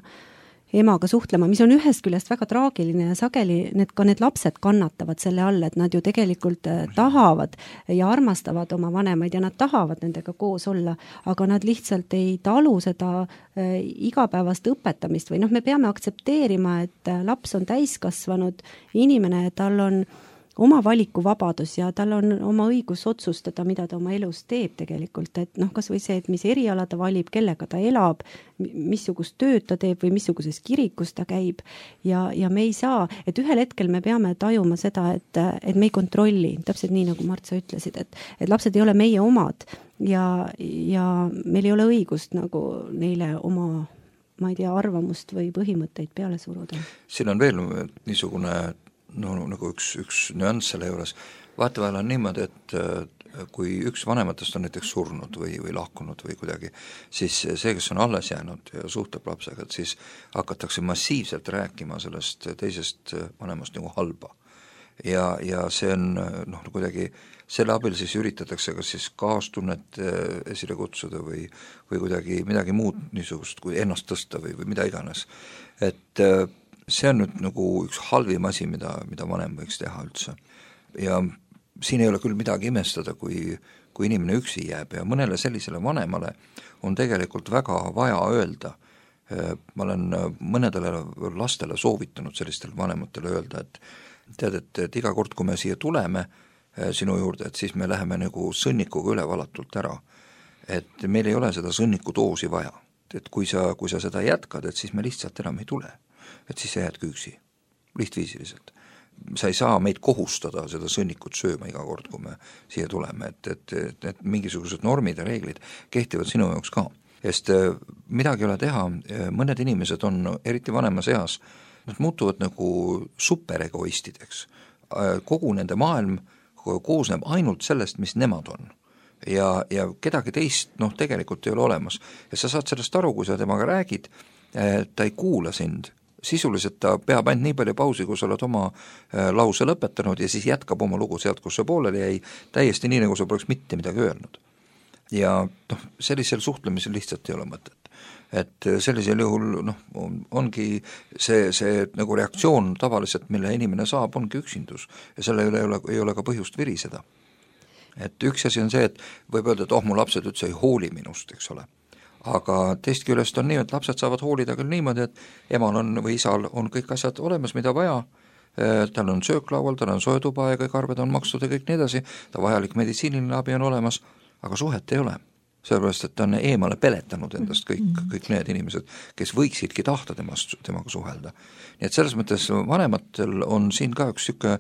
emaga suhtlema, mis on ühest küljest väga traagiline ja sageli need, ka need lapsed kannatavad selle all, et nad ju tegelikult tahavad ja armastavad oma vanemaid ja nad tahavad nendega koos olla, aga nad lihtsalt ei talu seda igapäevast õpetamist või noh, me peame aktsepteerima, et laps on täiskasvanud inimene, tal on oma valikuvabadus ja tal on oma õigus otsustada, mida ta oma elus teeb tegelikult, et noh, kas või see, et mis eriala ta valib, kellega ta elab, missugust tööd ta teeb või missuguses kirikus ta käib ja, ja me ei saa, et ühel hetkel me peame tajuma seda, et, et me ei kontrolli, täpselt nii nagu Mart, sa ütlesid, et, et lapsed ei ole meie omad ja, ja meil ei ole õigust nagu neile oma, ma ei tea, arvamust või põhimõtteid peale suruda. Siin on veel niisugune no nagu üks, üks nüanss selle juures, vaatavahel on niimoodi, et kui üks vanematest on näiteks surnud või, või lahkunud või kuidagi, siis see, kes on alles jäänud ja suhtleb lapsega, et siis hakatakse massiivselt rääkima sellest teisest vanemast nagu halba. Ja, ja see on noh, kuidagi selle abil siis üritatakse kas siis kaastunnet esile kutsuda või, või kuidagi midagi muud niisugust kui ennast tõsta või, või mida iganes. Et see on nüüd nagu üks halvim asi, mida, mida vanem võiks teha üldse. Ja siin ei ole küll midagi imestada, kui, kui inimene üksi jääb ja mõnele sellisele vanemale on tegelikult väga vaja öelda. Ma olen mõnedele lastele soovitanud sellistele vanematele öelda, et tead, et, et iga kord, kui me siia tuleme sinu juurde, et siis me läheme nagu sõnnikuga üle valatult ära. Et meil ei ole seda sõnniku doosi vaja. Et kui sa, kui sa seda jätkad, et siis me lihtsalt enam ei tule. Et siis sa jäädki üksi, lihtviisiliselt. Sa ei saa meid kohustada seda sõnnikut sööma iga kord, kui me siia tuleme, et, et, et, et mingisugused normid ja reeglid kehtivad sinu jaoks ka. Sest midagi ei ole teha, mõned inimesed on eriti vanemas eas, nad muutuvad nagu superegoistideks. Kogu nende maailm koosneb ainult sellest, mis nemad on. Ja, ja kedagi teist noh, tegelikult ei ole olemas. Ja sa saad sellest aru, kui sa temaga räägid, ta ei kuula sind. Sisuliselt ta peab ainult nii palju pausi, kui sa oled oma lause lõpetanud ja siis jätkab oma lugu sealt, kus sa pooleli jäi, täiesti nii, nagu sa poleks mitte midagi öelnud. Ja noh, sellisel suhtlemisel lihtsalt ei ole mõtet. Et sellisel juhul noh, on, ongi see, see nagu reaktsioon tavaliselt, mille inimene saab, ongi üksindus ja selle üle ei ole, ei ole ka põhjust viriseda. Et üks asi on see, et võib öelda, et oh, mu lapsed üldse ei hooli minust, eks ole. Aga teist küljest on nii, et lapsed saavad hoolida küll niimoodi, et emal on või isal on kõik asjad olemas, mida vaja, tal on sööklaual, tal on soetuba ja kõik arved on makstud ja kõik nii edasi, ta vajalik meditsiiniline abi on olemas, aga suhet ei ole. Sellepärast, et ta on eemale peletanud endast kõik, kõik need inimesed, kes võiksidki tahta temast, temaga suhelda. Nii et selles mõttes vanematel on siin ka üks siuke,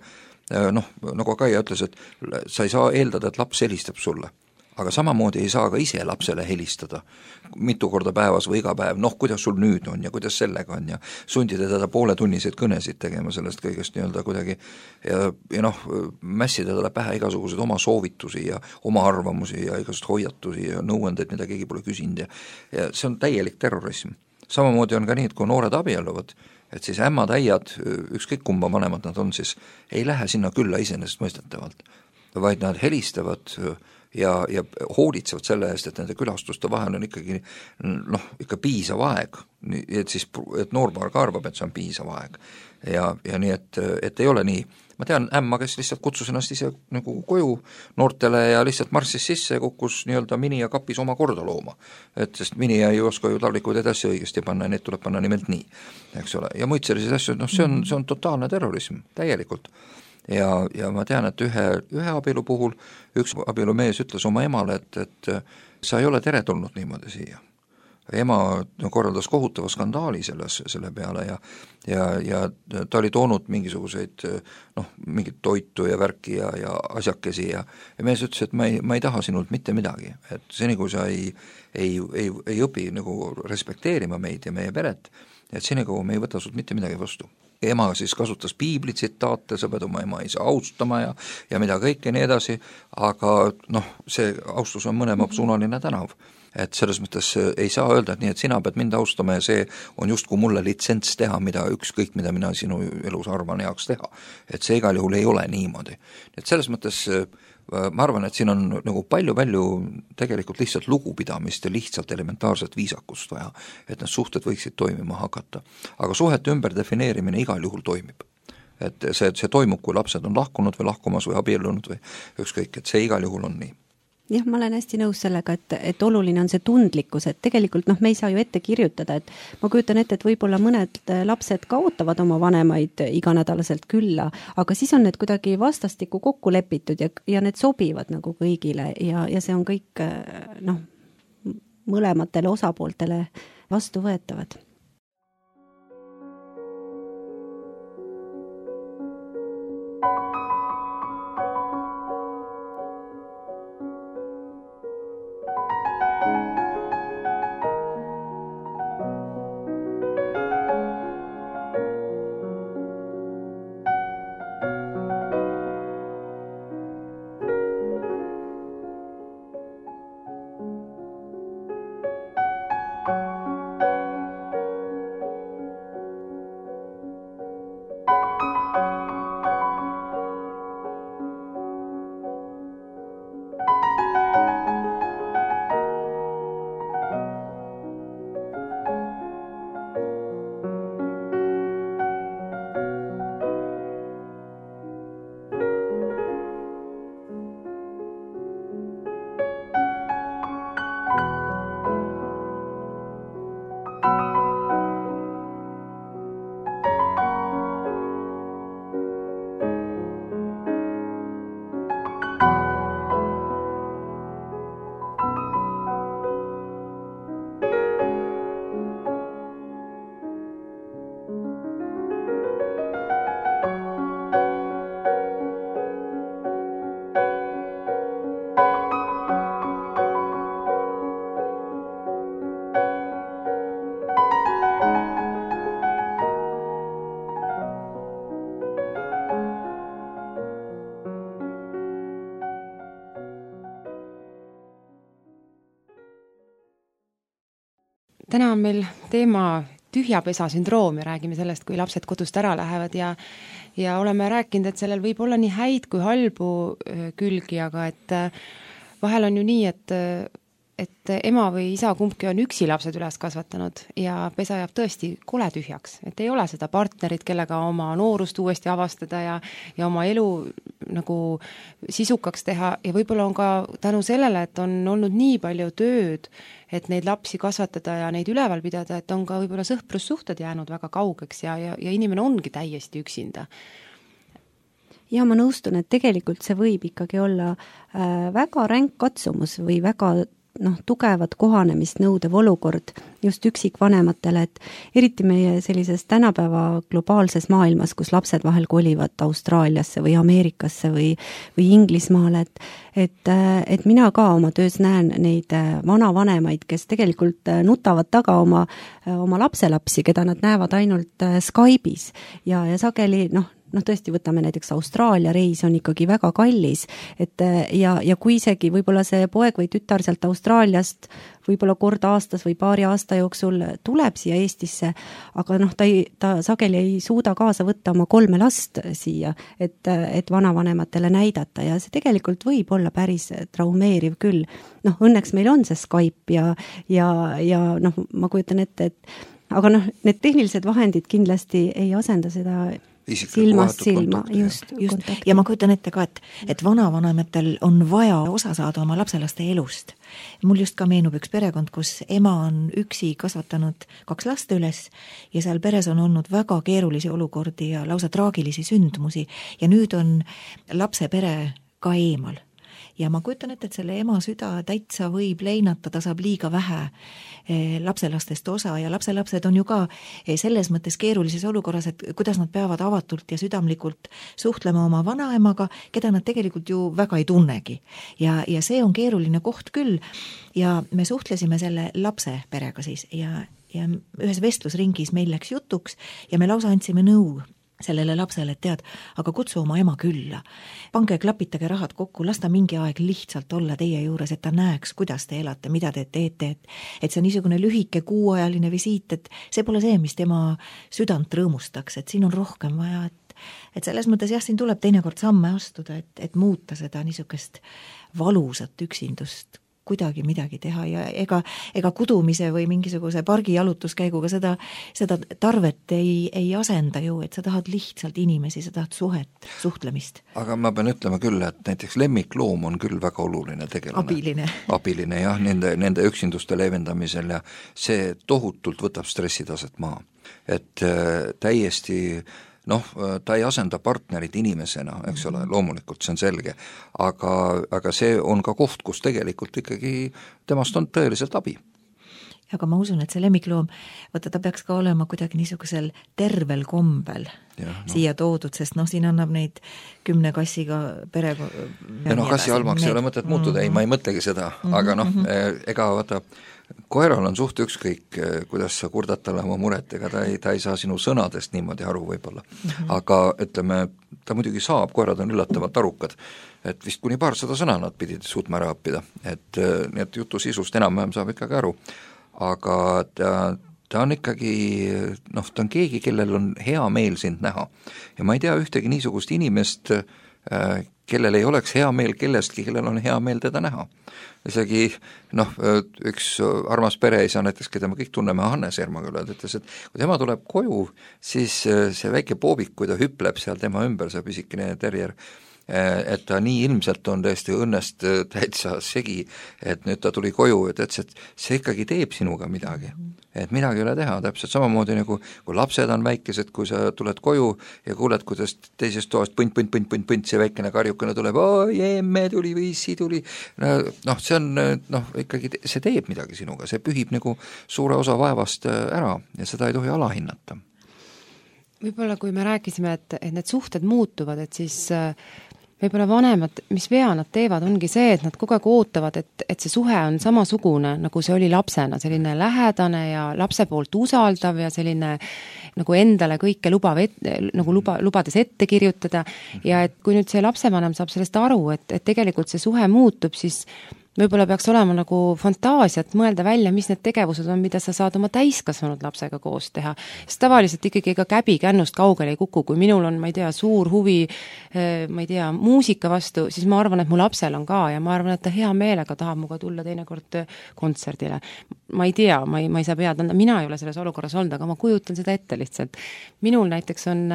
noh, nagu Kaia ütles, et sa ei saa eeldada, et laps helistab sulle. Aga samamoodi ei saa ka ise lapsele helistada mitu korda päevas või iga päev, noh, kuidas sul nüüd on ja kuidas sellega on ja sundida teda pooletunniseid kõnesid tegema sellest kõigest nii-öelda kuidagi ja, ja noh, mässida talle pähe igasuguseid oma soovitusi ja oma arvamusi ja igasugused hoiatusi ja nõuandeid, mida keegi pole küsinud ja, ja see on täielik terrorism. Samamoodi on ka nii, et kui noored abielluvad, et siis ämmad, äiad, ükskõik kumba vanemad nad on, siis ei lähe sinna külla iseenesestmõistetavalt, vaid nad helistavad ja, ja hoolitsevad selle eest, et nende külastuste vahel on ikkagi noh, ikka piisav aeg, et siis, et noorpaar ka arvab, et see on piisav aeg ja, ja nii, et, et ei ole nii. Ma tean ämma, kes lihtsalt kutsus ennast ise nagu koju noortele ja lihtsalt marssis sisse ja kukkus nii-öelda mini ja kapis oma korda looma. Et sest mini ei oska ju taldikuid edasi õigesti panna ja need tuleb panna nimelt nii, eks ole. Ja muid selliseid asju, noh see on, see on totaalne terrorism, täielikult. Ja, ja ma tean, et ühe, ühe abielu puhul üks abielumees ütles oma emale, et, et sa ei ole teretulnud niimoodi siia. Ema korraldas kohutava skandaali selles, selle peale ja, ja, ja ta oli toonud mingisuguseid noh, mingit toitu ja värki ja, ja asjakesi ja, ja mees ütles, et ma ei, ma ei taha sinult mitte midagi, et seni kui sa ei, ei, ei, ei õpi nagu respekteerima meid ja meie peret, et seni kui me ei võta sult mitte midagi vastu. Ema siis kasutas piibli tsitaate, sa pead oma ema isa austama ja, ja mida kõike nii edasi, aga noh, see austus on mõlema suunaline tänav. Et selles mõttes ei saa öelda, et nii, et sina pead mind austama ja see on justkui mulle litsents teha, mida ükskõik, mida mina sinu elus arvan heaks teha. Et see igal juhul ei ole niimoodi. Et selles mõttes ma arvan, et siin on nagu palju-palju tegelikult lihtsalt lugupidamist ja lihtsalt elementaarset viisakust vaja, et need suhted võiksid toimima hakata. Aga suhete ümberdefineerimine igal juhul toimib. Et see, see toimub, kui lapsed on lahkunud või lahkumas või abiellunud või ükskõik, et see igal juhul on nii. Jah, ma olen hästi nõus sellega, et, et oluline on see tundlikkus, et tegelikult noh, me ei saa ju ette kirjutada, et ma kujutan ette, et võib-olla mõned lapsed ka ootavad oma vanemaid iganädalaselt külla, aga siis on need kuidagi vastastikku kokku lepitud ja, ja need sobivad nagu kõigile ja, ja see on kõik noh, mõlematele osapooltele vastuvõetavad. Täna on meil teema tühjapesa sündroom ja räägime sellest, kui lapsed kodust ära lähevad ja, ja oleme rääkinud, et sellel võib olla nii häid kui halbu külgi, aga et vahel on ju nii, et, et ema või isa kumbki on üksi lapsed üles kasvatanud ja pesa jääb tõesti kole tühjaks, et ei ole seda partnerit, kellega oma noorust uuesti avastada ja, ja oma elu nagu sisukaks teha ja võib-olla on ka tänu sellele, et on olnud nii palju tööd, et neid lapsi kasvatada ja neid üleval pidada, et on ka võib-olla sõprussuhted jäänud väga kaugeks ja, ja, ja inimene ongi täiesti üksinda. Ja ma nõustun, et tegelikult see võib ikkagi olla äh, väga ränk katsumus või väga noh, tugevat kohanemist nõudev olukord just üksikvanematele, et eriti meie sellises tänapäeva globaalses maailmas, kus lapsed vahel kolivad Austraaliasse või Ameerikasse või, või Inglismaale, et, et, et mina ka oma töös näen neid vanavanemaid, kes tegelikult nutavad taga oma, oma lapselapsi, keda nad näevad ainult Skype'is ja, ja sageli noh, noh, tõesti võtame näiteks Austraalia reis on ikkagi väga kallis, et ja, ja kui isegi võib-olla see poeg või tütar sealt Austraaliast võib-olla kord aastas või paari aasta jooksul tuleb siia Eestisse, aga noh, ta, ei, ta sageli ei suuda kaasa võtta oma kolme last siia, et, et vanavanematele näidata ja see tegelikult võib olla päris traumeeriv küll. Noh, õnneks meil on see Skype ja, ja, ja noh, ma kujutan ette, et aga noh, need tehnilised vahendid kindlasti ei asenda seda silmast silma, just, just. ja ma kujutan ette ka, et, et vanavanematel on vaja osa saada oma lapselaste elust. Mul just ka meenub üks perekond, kus ema on üksi kasvatanud kaks last üles ja seal peres on olnud väga keerulisi olukordi ja lausa traagilisi sündmusi ja nüüd on lapse pere ka eemal. Ja ma kujutan ette, et selle ema süda täitsa võib leinata, ta saab liiga vähe lapselastest osa ja lapselapsed on ju ka selles mõttes keerulises olukorras, et kuidas nad peavad avatult ja südamlikult suhtlema oma vanaemaga, keda nad tegelikult ju väga ei tunnegi. Ja, ja see on keeruline koht küll ja me suhtlesime selle lapse perega siis ja, ja ühes vestlusringis meil läks jutuks ja me lausa andsime nõu sellele lapsele, et tead, aga kutsu oma ema külla. Pange, klapitage rahad kokku, lasta mingi aeg lihtsalt olla teie juures, et ta näeks, kuidas te elate, mida te teete, et, et see on niisugune lühike kuuajaline visiit, et see pole see, mis tema südant rõõmustaks, et siin on rohkem vaja, et, et selles mõttes jah, siin tuleb teinekord samme astuda, et, et muuta seda niisugust valusat üksindust, kuidagi midagi teha ja ega, ega kudumise või mingisuguse pargi jalutuskäiguga seda, seda tarvet ei, ei asenda ju, et sa tahad lihtsalt inimesi, sa tahad suhet, suhtlemist. Aga ma pean ütlema küll, et näiteks lemmikloom on küll väga oluline tegelane. Abiline. Abiline jah, nende, nende üksinduste leevendamisel ja see tohutult võtab stressitaset maha. Et äh, täiesti noh, ta ei asenda partnerit inimesena, eks ole, loomulikult see on selge, aga, aga see on ka koht, kus tegelikult ikkagi temast on tõeliselt abi. Aga ma usun, et see lemmikloom, võtta ta peaks ka olema kuidagi niisugusel tervel kombel ja, no. siia toodud, sest noh, siin annab neid kümne kassiga pere... Ja noh, kassi almaks ei ole mõtet muutuda, mm-hmm. ei, ma ei mõtlegi seda, mm-hmm. aga noh, ega vaata, koeral on suht ükskõik, kuidas sa kurdad talle oma muret, ega ta ei, ta ei saa sinu sõnadest niimoodi aru võib-olla. Mm-hmm. Aga ütleme, ta muidugi saab, koerad on üllatavalt arukad, et vist kuni paarsada sõna nad pidid suutma ära õppida, et nii et jutu sisust enam-vähem saab ikkagi aru, aga ta, ta on ikkagi, noh, ta on keegi, kellel on hea meel sind näha. Ja ma ei tea ühtegi niisugust inimest, kellel ei oleks hea meel kellestki, kellel on hea meel teda näha. Isegi noh, üks armas pereisa näiteks, keda me kõik tunneme, Hannes Ermaküla, ütles, et kui tema tuleb koju, siis see väike poobik, kui ta hüpleb seal tema ümber, see pisikene terrier, et ta nii ilmselt on tõesti õnnest täitsa segi, et nüüd ta tuli koju ja ta ütles, et see ikkagi teeb sinuga midagi, et midagi ei ole teha, täpselt samamoodi nagu kui lapsed on väikesed, kui sa tuled koju ja kuuled, kuidas teisest toast põnt, põnt, põnt, põnt, põnt, see väikene karjukene tuleb, oi, emme tuli või issi tuli, noh, see on, noh, ikkagi see teeb midagi sinuga, see pühib nagu suure osa vaevast ära ja seda ei tohi alahinnata. Võib-olla kui me rääkisime, et, et need suhted muutuvad, et siis võib-olla vanemad, mis vea nad teevad, ongi see, et nad kogu aeg ootavad, et, et see suhe on samasugune, nagu see oli lapsena, selline lähedane ja lapse poolt usaldav ja selline nagu endale kõike lubav, et, nagu luba, lubades ette kirjutada ja et kui nüüd see lapsevanem saab sellest aru, et, et tegelikult see suhe muutub, siis võib-olla peaks olema nagu fantaasiat mõelda välja, mis need tegevused on, mida sa saad oma täiskasvanud lapsega koos teha. Sest tavaliselt ikkagi ega käbi kännust kaugele ei kuku, kui minul on, ma ei tea, suur huvi, ma ei tea, muusika vastu, siis ma arvan, et mu lapsel on ka ja ma arvan, et ta hea meelega tahab muga tulla teinekord kontserdile. Ma ei tea, ma ei, ma ei saa pead anda, mina ei ole selles olukorras olnud, aga ma kujutan seda ette lihtsalt. Minul näiteks on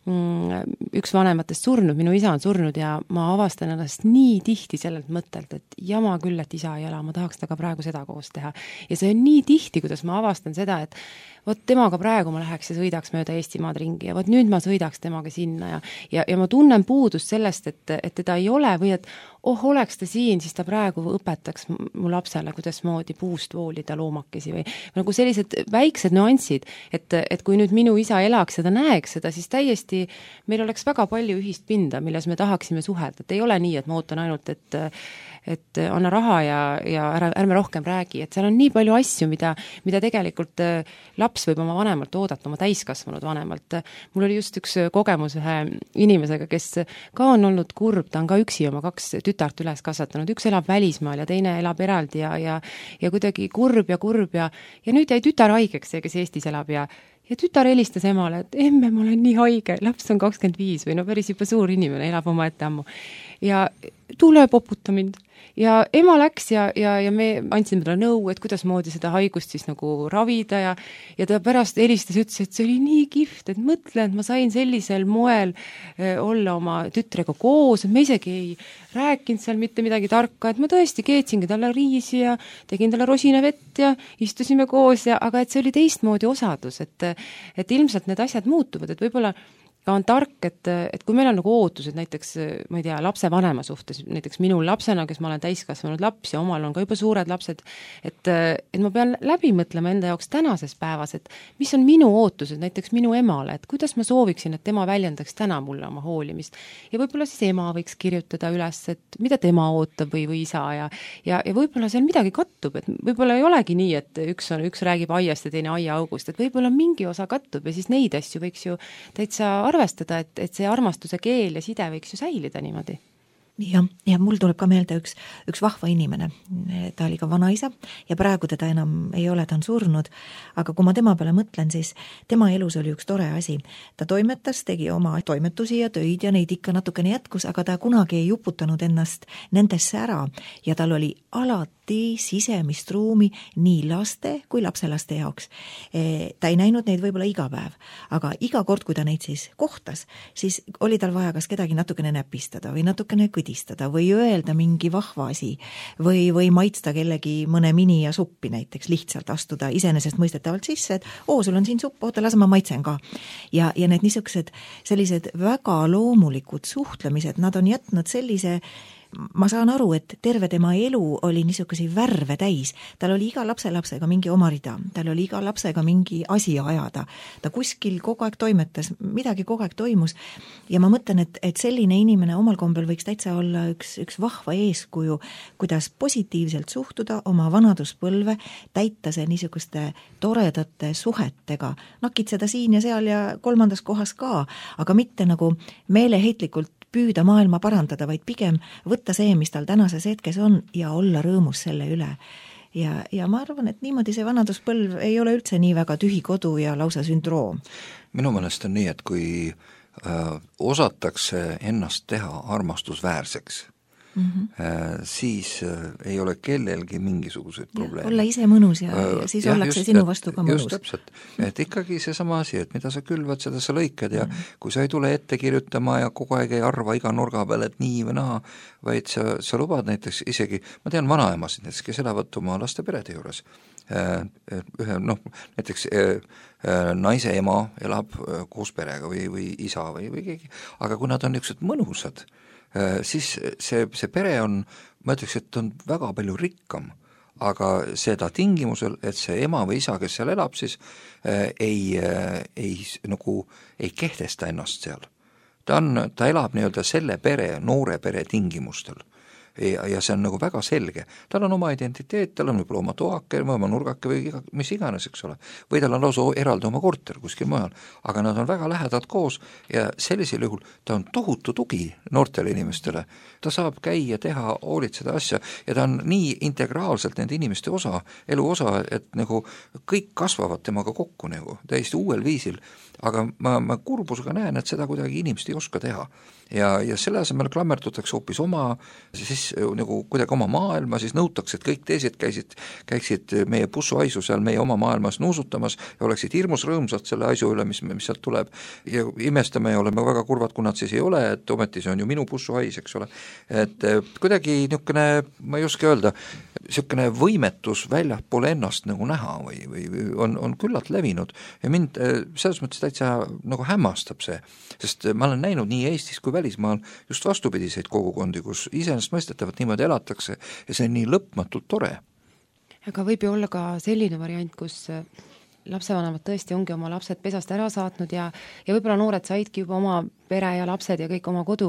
üks vanematest surnud, minu isa on surnud ja ma avastan ennast nii tihti sellelt mõttelt, et jama küll, et isa ei ela, ma tahaks temaga praegu seda koos teha. Ja see on nii tihti, kuidas ma avastan seda, et vot temaga praegu ma läheks ja sõidaks mööda Eestimaad ringi ja vot nüüd ma sõidaks temaga sinna ja, ja, ja ma tunnen puudust sellest, et, et teda ei ole või et oh, oleks ta siin, siis ta praegu õpetaks mu lapsele, kuidas moodi puust voolida loomakesi või nagu sellised väiksed nüansid, et, et kui nüüd minu isa elaks ja ta näeks seda, siis täiesti meil oleks väga palju ühist pinda, milles me tahaksime suhelda, et ei ole nii, et ma ootan ainult, et et anna raha ja, ja ära, ärme rohkem räägi, et seal on nii palju asju, mida, mida tegelikult laps võib oma vanemalt oodata, oma täiskasvanud vanemalt. Mul oli just üks kogemus ühe inimesega, kes ka on olnud kurb, ta on ka üksi oma kaks tütart üles kasvatanud, üks elab välismaal ja teine elab eraldi ja, ja, ja kuidagi kurb ja kurb ja, ja nüüd jäi tütar haigeks, see, kes Eestis elab ja ja tütar helistas emale, et emme, ma olen nii haige, laps on kakskümmend viis või no päris juba suur inimene, elab oma ette ammu. Ja tule poputa mind. Ja ema läks ja, ja, ja me andsime talle nõu, et kuidas moodi seda haigust siis nagu ravida ja, ja ta pärast helistas ja ütles, et see oli nii kihvt, et mõtle, et ma sain sellisel moel eh, olla oma tütrega koos, et me isegi ei rääkinud seal mitte midagi tarka, et ma tõesti keetsingi talle riisi ja tegin talle rosinavett ja istusime koos, ja, aga et see oli teistmoodi osadus, et, et ilmselt need asjad muutuvad, et võib-olla ka on tark, et, et kui meil on nagu ootused näiteks, ma ei tea, lapse vanema suhtes, näiteks minul lapsena, kes ma olen täiskasvanud laps ja omal on ka juba suured lapsed, et, et ma pean läbi mõtlema enda jaoks tänases päevas, et mis on minu ootused näiteks minu emale, et kuidas ma sooviksin, et tema väljendaks täna mulle oma hoolimist. Ja võib-olla siis ema võiks kirjutada üles, et mida tema ootab või, või isa ja, ja, ja võib-olla seal midagi kattub, et võib-olla ei olegi nii, et üks, on, üks räägib aiast ja teine aiaaugust, et võib-olla mingi osa kattub ja siis neid asju võiks ju täitsa arvestada, et, et see armastuse keel ja side võiks ju säilida niimoodi. Ja, ja mul tuleb ka meelde üks, üks vahva inimene, ta oli ka vanaisa ja praegu teda enam ei ole, ta on surnud, aga kui ma tema peale mõtlen, siis tema elus oli üks tore asi. Ta toimetas, tegi oma toimetusi ja töid ja neid ikka natukene jätkus, aga ta kunagi ei uputanud ennast nendesse ära ja tal oli alati sisemist ruumi nii laste kui lapselaste jaoks. Ta ei näinud neid võib-olla iga päev, aga iga kord, kui ta neid siis kohtas, siis oli tal vaja kas kedagi natukene näpistada või natukene kõdistada või öelda mingi vahva asi või, või maitsta kellegi mõne mini ja suppi näiteks, lihtsalt astuda iseenesest mõistetavalt sisse, et oo, sul on siin supp, oota, lase ma maitsen ka. Ja, ja need niisugused sellised väga loomulikud suhtlemised, nad on jätnud sellise ma saan aru, et terve tema elu oli niisuguse värve täis. Tal oli iga lapselapsega mingi oma rida, tal oli iga lapsega mingi asi ajada. Ta kuskil kogu aeg toimetas, midagi kogu aeg toimus. Ja ma mõtlen, et, et selline inimene omal kombel võiks täitsa olla üks, üks vahva eeskuju, kuidas positiivselt suhtuda oma vanaduspõlve, täita see niisuguste toredate suhetega, nakitseda siin ja seal ja kolmandas kohas ka, aga mitte nagu meeleheitlikult püüda maailma parandada, vaid pigem võtta see, mis tal tänases hetkes on ja olla rõõmus selle üle. Ja, ja ma arvan, et niimoodi see vanaduspõlv ei ole üldse nii väga tühi kodu ja lausa sündroom. Minu meelest on nii, et kui äh, osatakse ennast teha armastusväärseks, Mm-hmm. siis ei ole kellelgi mingisuguseid probleeme. Olla ise mõnus ja, ja siis ja, ollakse just, sinu vastu ka mõnus. Just täpselt, et ikkagi see sama asi, et mida sa külvad, seda sa lõikad ja mm-hmm. kui sa ei tule ette kirjutama ja kogu aeg ei arva iga nurga peal, et nii või naa, vaid sa, sa lubad näiteks isegi, ma tean vanaemasid näiteks, kes elavad oma laste perede juures, ühe, noh, näiteks naise ema elab koos perega või, või isa või, või keegi, aga kui nad on niisugused mõnusad, siis see, see pere on, ma ütleks, et on väga palju rikkam, aga seda tingimusel, et see ema või isa, kes seal elab, siis ei, ei, nagu, ei kehtesta ennast seal. Ta, on, ta elab nii-öelda selle pere, noore pere tingimustel. Ja, ja see on nagu väga selge. Tal on oma identiteet, tal on võib-olla oma toake, oma nurgake või iga, mis iganes, eks ole. Või tal on lausa eraldi oma korter kuskil mujal, aga nad on väga lähedalt koos ja sellisel juhul ta on tohutu tugi noortele inimestele. Ta saab käia, teha, hoolitseda asja ja ta on nii integraalselt nende inimeste osa, elu osa, et nagu kõik kasvavad temaga kokku nagu täiesti uuel viisil, aga ma, ma kurbusega näen, et seda kuidagi inimesed ei oska teha. Ja, ja selle asemel klammerdutakse hoopis oma siis nagu kuidagi oma maailma, siis nõutakse, et kõik teised käisid, käiksid meie pussuaisu seal meie oma maailmas nuusutamas ja oleksid hirmus rõõmsad selle aisu üle, mis, mis sealt tuleb ja imestame ja oleme väga kurvad, kui nad siis ei ole, et ometi see on ju minu pussuais, eks ole. Et kuidagi niisugune, ma ei oska öelda, niisugune võimetus väljapoole ennast nagu näha või, või on, on küllalt levinud ja mind selles mõttes täitsa nagu hämmastab see, sest ma olen näinud nii Eestis kui välismaal just vastupidiseid kogukondi, kus iseenesestmõistetavalt niimoodi elatakse ja see on nii lõpmatult tore. Aga võib ju olla ka selline variant, kus lapsevanemad tõesti ongi oma lapsed pesast ära saatnud ja, ja võib-olla noored saidki juba oma pere ja lapsed ja kõik oma kodu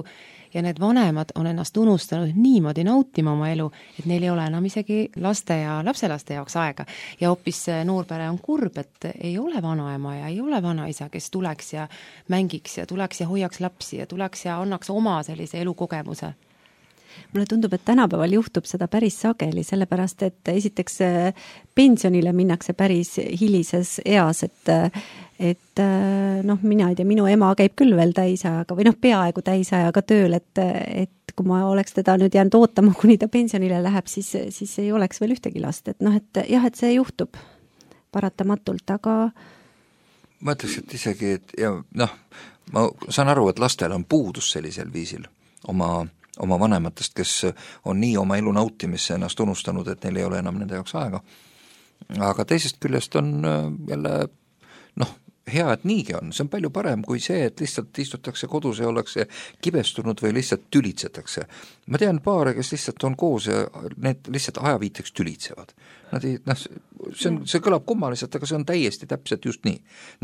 ja need vanemad on ennast unustanud niimoodi nautima oma elu, et neil ei ole enam isegi laste ja lapselaste jaoks aega. Ja hoopis noorpere on kurb, et ei ole vanaema ja ei ole vanaisa, kes tuleks ja mängiks ja tuleks ja hoiaks lapsi ja tuleks ja annaks oma sellise elukogemuse. Mulle tundub, et tänapäeval juhtub seda päris sageli, sellepärast et esiteks pensionile minnakse päris hilises eas, et, et noh, mina ei tea, minu ema käib küll veel täisajaga või noh, peaaegu täisajaga tööl, et, et kui ma oleks teda nüüd jäänud ootama, kuni ta pensionile läheb, siis, siis ei oleks veel ühtegi last, et noh, et jah, et see juhtub paratamatult, aga ma ütleks, et isegi, et ja noh, ma saan aru, et lastel on puudus sellisel viisil oma oma vanematest, kes on nii oma elu nautimisse ennast unustanud, et neil ei ole enam nende jaoks aega. Aga teisest küljest on jälle, noh, hea, et niigi on, see on palju parem kui see, et lihtsalt istutakse kodus ja ollakse kibestunud või lihtsalt tülitsetakse. Ma tean paare, kes lihtsalt on koos ja need lihtsalt ajaviiteks tülitsevad. Nad ei, noh, see, on, see kõlab kummaliselt, aga see on täiesti täpselt just nii.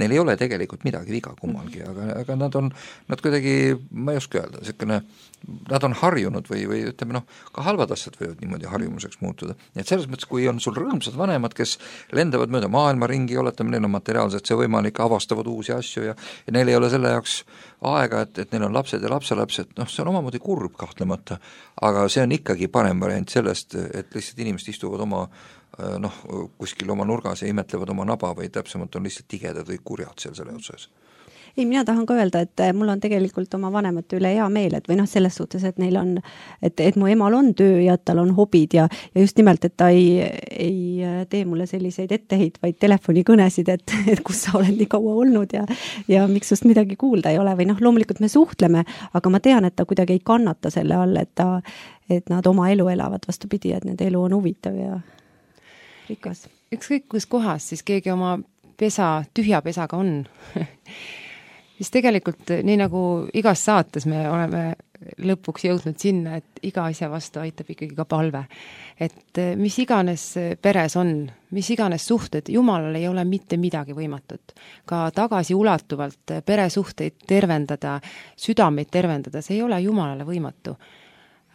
Neil ei ole tegelikult midagi viga kummalgi, aga, aga nad on, nad kuidagi, ma ei oska öelda, selline, nad on harjunud või, või ütleme, noh, ka halvad asjad võivad niimoodi harjumuseks muutuda. Et selles mõttes, kui on sul rõõmsad vanemad, kes lendavad mööda maailma ringi, oletame, neil on materiaalselt see võimalik, avastavad uusi asju ja, ja neil ei ole selle jaoks aega, et, et neil on lapsed ja lapselapsed, noh, see on omamoodi kurb kahtlemata, aga see on ikkagi parem variant sellest, et lihtsalt inimesed istuvad oma noh, kuskil oma nurgas ja imetlevad oma naba või täpsemalt on lihtsalt tigedad või kurjad seal selle otsas. Ei, mina tahan ka öelda, et mul on tegelikult oma vanemate üle hea meel, et või noh, selles suhtes, et neil on, et, et mu emal on töö ja tal on hobid ja, ja just nimelt, et ta ei, ei tee mulle selliseid etteheitvaid telefonikõnesid, et, et kus sa oled nii kaua olnud ja, ja miks sust midagi kuulda ei ole või noh, loomulikult me suhtleme, aga ma tean, et ta kuidagi ei kannata selle all, et ta, et nad oma elu elavad vastupidi, et nende elu on huvitav ja rikas. Ükskõik kus kohas siis keegi oma pesa, tühja pesaga on siis tegelikult nii nagu igas saates me oleme lõpuks jõudnud sinna, et iga asja vastu aitab ikkagi ka palve. Et mis iganes peres on, mis iganes suhted, Jumalal ei ole mitte midagi võimatut. Ka tagasi ulatuvalt peresuhteid tervendada, südameid tervendada, see ei ole Jumalale võimatu.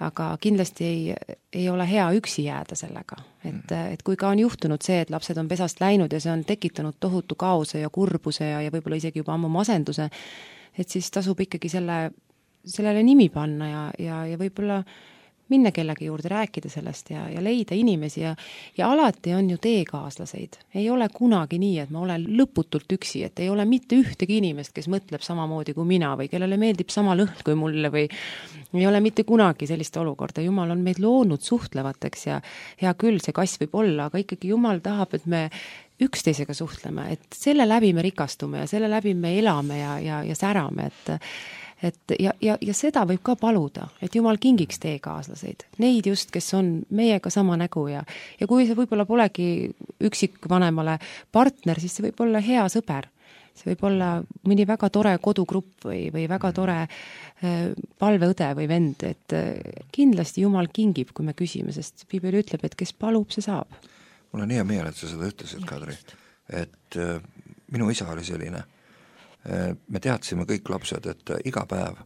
Aga kindlasti ei, ei ole hea üksi jääda sellega. Et, et kui ka on juhtunud see, et lapsed on pesast läinud ja see on tekitanud tohutu kaose ja kurbuse ja, ja võib-olla isegi juba ammu masenduse, et siis tasub ikkagi selle, sellele nimi panna ja, ja, ja võib-olla minna kellegi juurde, rääkida sellest ja, ja leida inimesi ja, ja alati on ju teekaaslaseid. Ei ole kunagi nii, et ma olen lõputult üksi, et ei ole mitte ühtegi inimest, kes mõtleb samamoodi kui mina või kellele meeldib sama lõhn kui mulle või ei ole mitte kunagi sellist olukorda. Jumal on meid loonud suhtlevateks ja hea küll, see kass võib olla, aga ikkagi Jumal tahab, et me üksteisega suhtleme, et selle läbi me rikastume ja selle läbi me elame ja, ja, ja särame, et Et ja, ja, ja seda võib ka paluda, et Jumal kingiks teekaaslaseid. Neid just, kes on meiega sama nägu ja, ja kui see võib-olla polegi üksikvanemale partner, siis see võib olla hea sõber. See võib olla mõni väga tore kodugrupp või, või väga tore äh, palveõde või vend, et äh, kindlasti Jumal kingib, kui me küsime, sest Piibel ütleb, et kes palub, see saab. Mul on hea meel, et sa seda ütlesid, Kadri, et äh, minu isa oli selline. Me teadsime kõik lapsed, et iga päev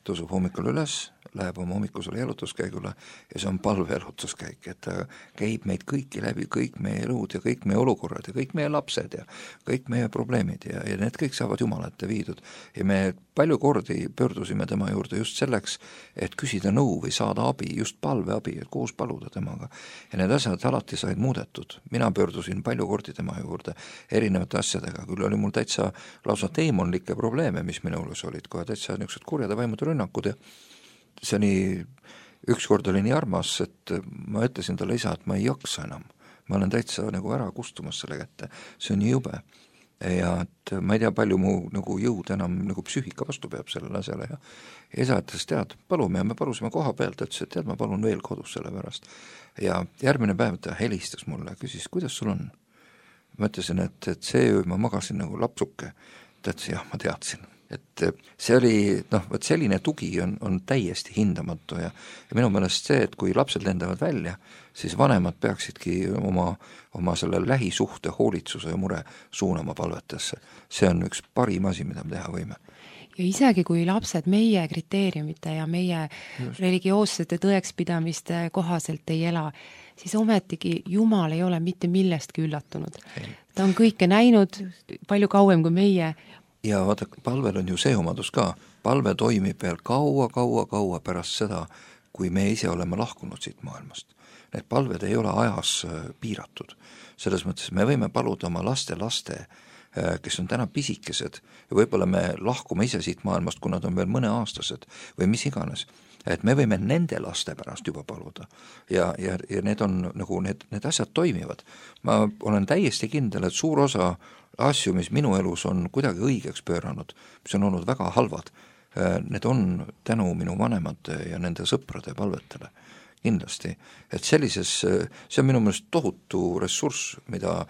tõusub hommikul üles, läheb oma hommikusele elutuskäigule ja see on palve elutuskäik, et ta käib meid kõiki läbi, kõik meie elud ja kõik meie olukorrad ja kõik meie lapsed ja kõik meie probleemid ja, ja need kõik saavad Jumala ette viidud. Ja me palju kordi pöördusime tema juurde just selleks, et küsida nõu või saada abi, just palveabi, et koos paluda temaga. Ja need asjad alati said muudetud. Mina pöördusin palju kordi tema juurde erinevate asjadega, küll oli mul täitsa lausa teemonlikke probleeme, mis minu elus olid, kohe täitsa niisugused kurjad ja vaimud rünnakud ja see oli ükskord oli nii armas, et ma ütlesin talle isa, et ma ei jaksa enam. Ma olen täitsa nagu ära kustumas selle kätte, see on nii jube. Ja et ma ei tea, palju mu nagu jõud enam nagu psüühika vastu peab sellele asjale ja isa ütles, tead, palume ja me palusime koha pealt, ütles, et tead, ma palun veel kodus selle pärast. Ja järgmine päev ta helistas mulle, küsis, kuidas sul on? Ma ütlesin, et, et see öö ma magasin nagu lapsuke. Ta ütles, jah, ma teadsin. Et see oli, noh, võt selline tugi on, on täiesti hindamatu ja, ja minu meelest see, et kui lapsed lendavad välja, siis vanemad peaksidki oma, oma selle lähisuhte hoolitsuse ja mure suunama palvetesse. See on üks parim asi, mida me teha võime. Ja isegi kui lapsed meie kriteeriumite ja meie Just. religioossete tõekspidamiste kohaselt ei ela, siis ometigi Jumal ei ole mitte millestki üllatunud. Ei. Ta on kõike näinud Just. palju kauem kui meie. Ja vaata, palvel on ju see omadus ka, palve toimib veel kaua, kaua, kaua pärast seda, kui me ise oleme lahkunud siit maailmast. Need palved ei ole ajas piiratud. Selles mõttes me võime paluda oma laste laste, kes on täna pisikesed ja võib-olla me lahkume ise siit maailmast, kui nad on veel mõneaastased või mis iganes. Et me võime nende laste pärast juba paluda ja, ja, ja need on nagu need, need asjad toimivad. Ma olen täiesti kindel, et suur osa asju, mis minu elus on kuidagi õigeks pööranud, mis on olnud väga halvad, need on tänu minu vanemate ja nende sõprade palvetele. Kindlasti, et sellises, see on minu meelest tohutu ressurss, mida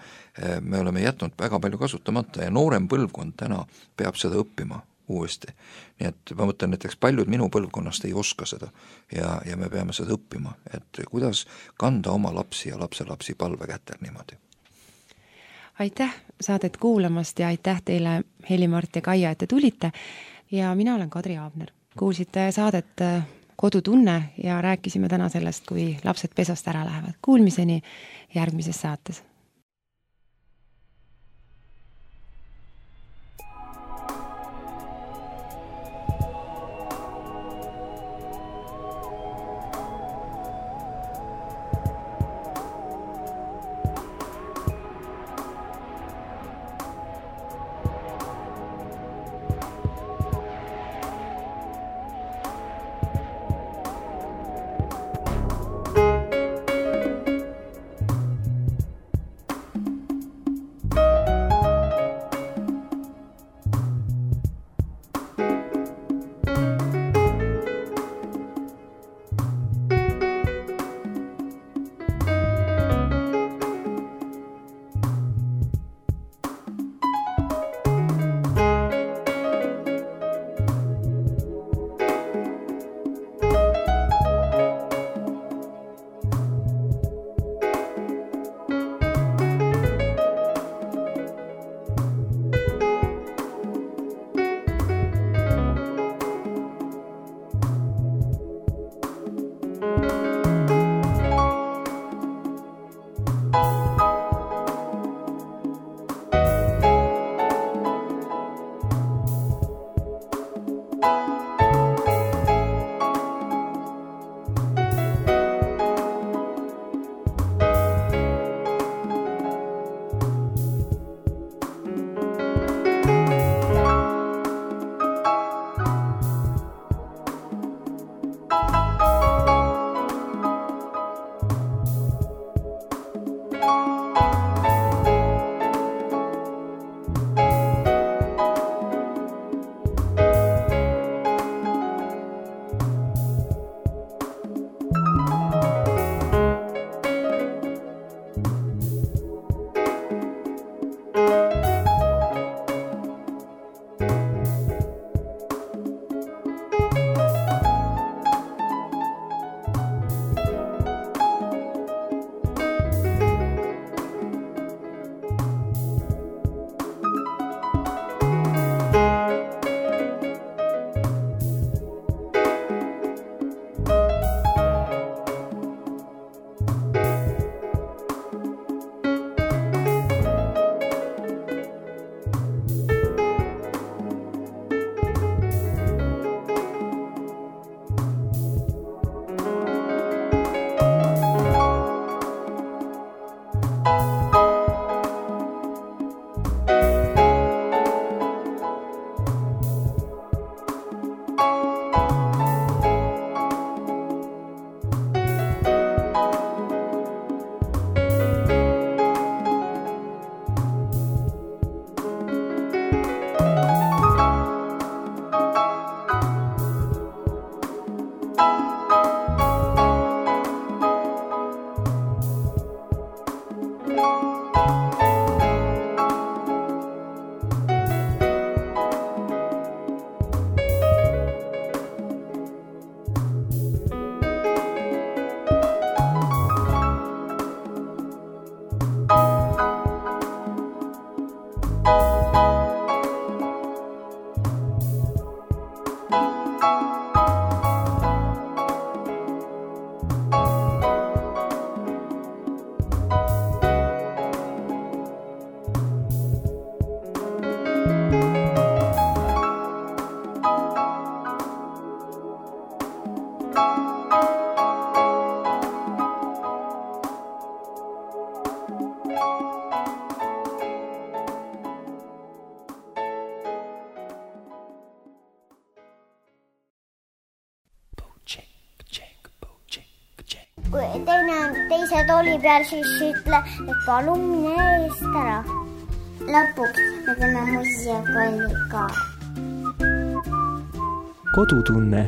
me oleme jätnud väga palju kasutamata ja noorem põlvkond täna peab seda õppima uuesti. Nii et ma mõtlen, näiteks paljud minu põlvkonnast ei oska seda ja, ja me peame seda õppima, et kuidas kanda oma lapsi ja lapselapsi palve kätel niimoodi. Aitäh saadet kuulamast ja aitäh teile, Heli-Mart ja Kaia, et te tulite ja mina olen Kadri Aabner. Kuulsite saadet Kodutunne ja rääkisime täna sellest, kui lapsed pesast ära lähevad. Kuulmiseni järgmises saates. kui teine on teise tooli peal, siis ütle, et palun mine eest ära. Lõpuks me teeme muiakalli ka. Kodutunne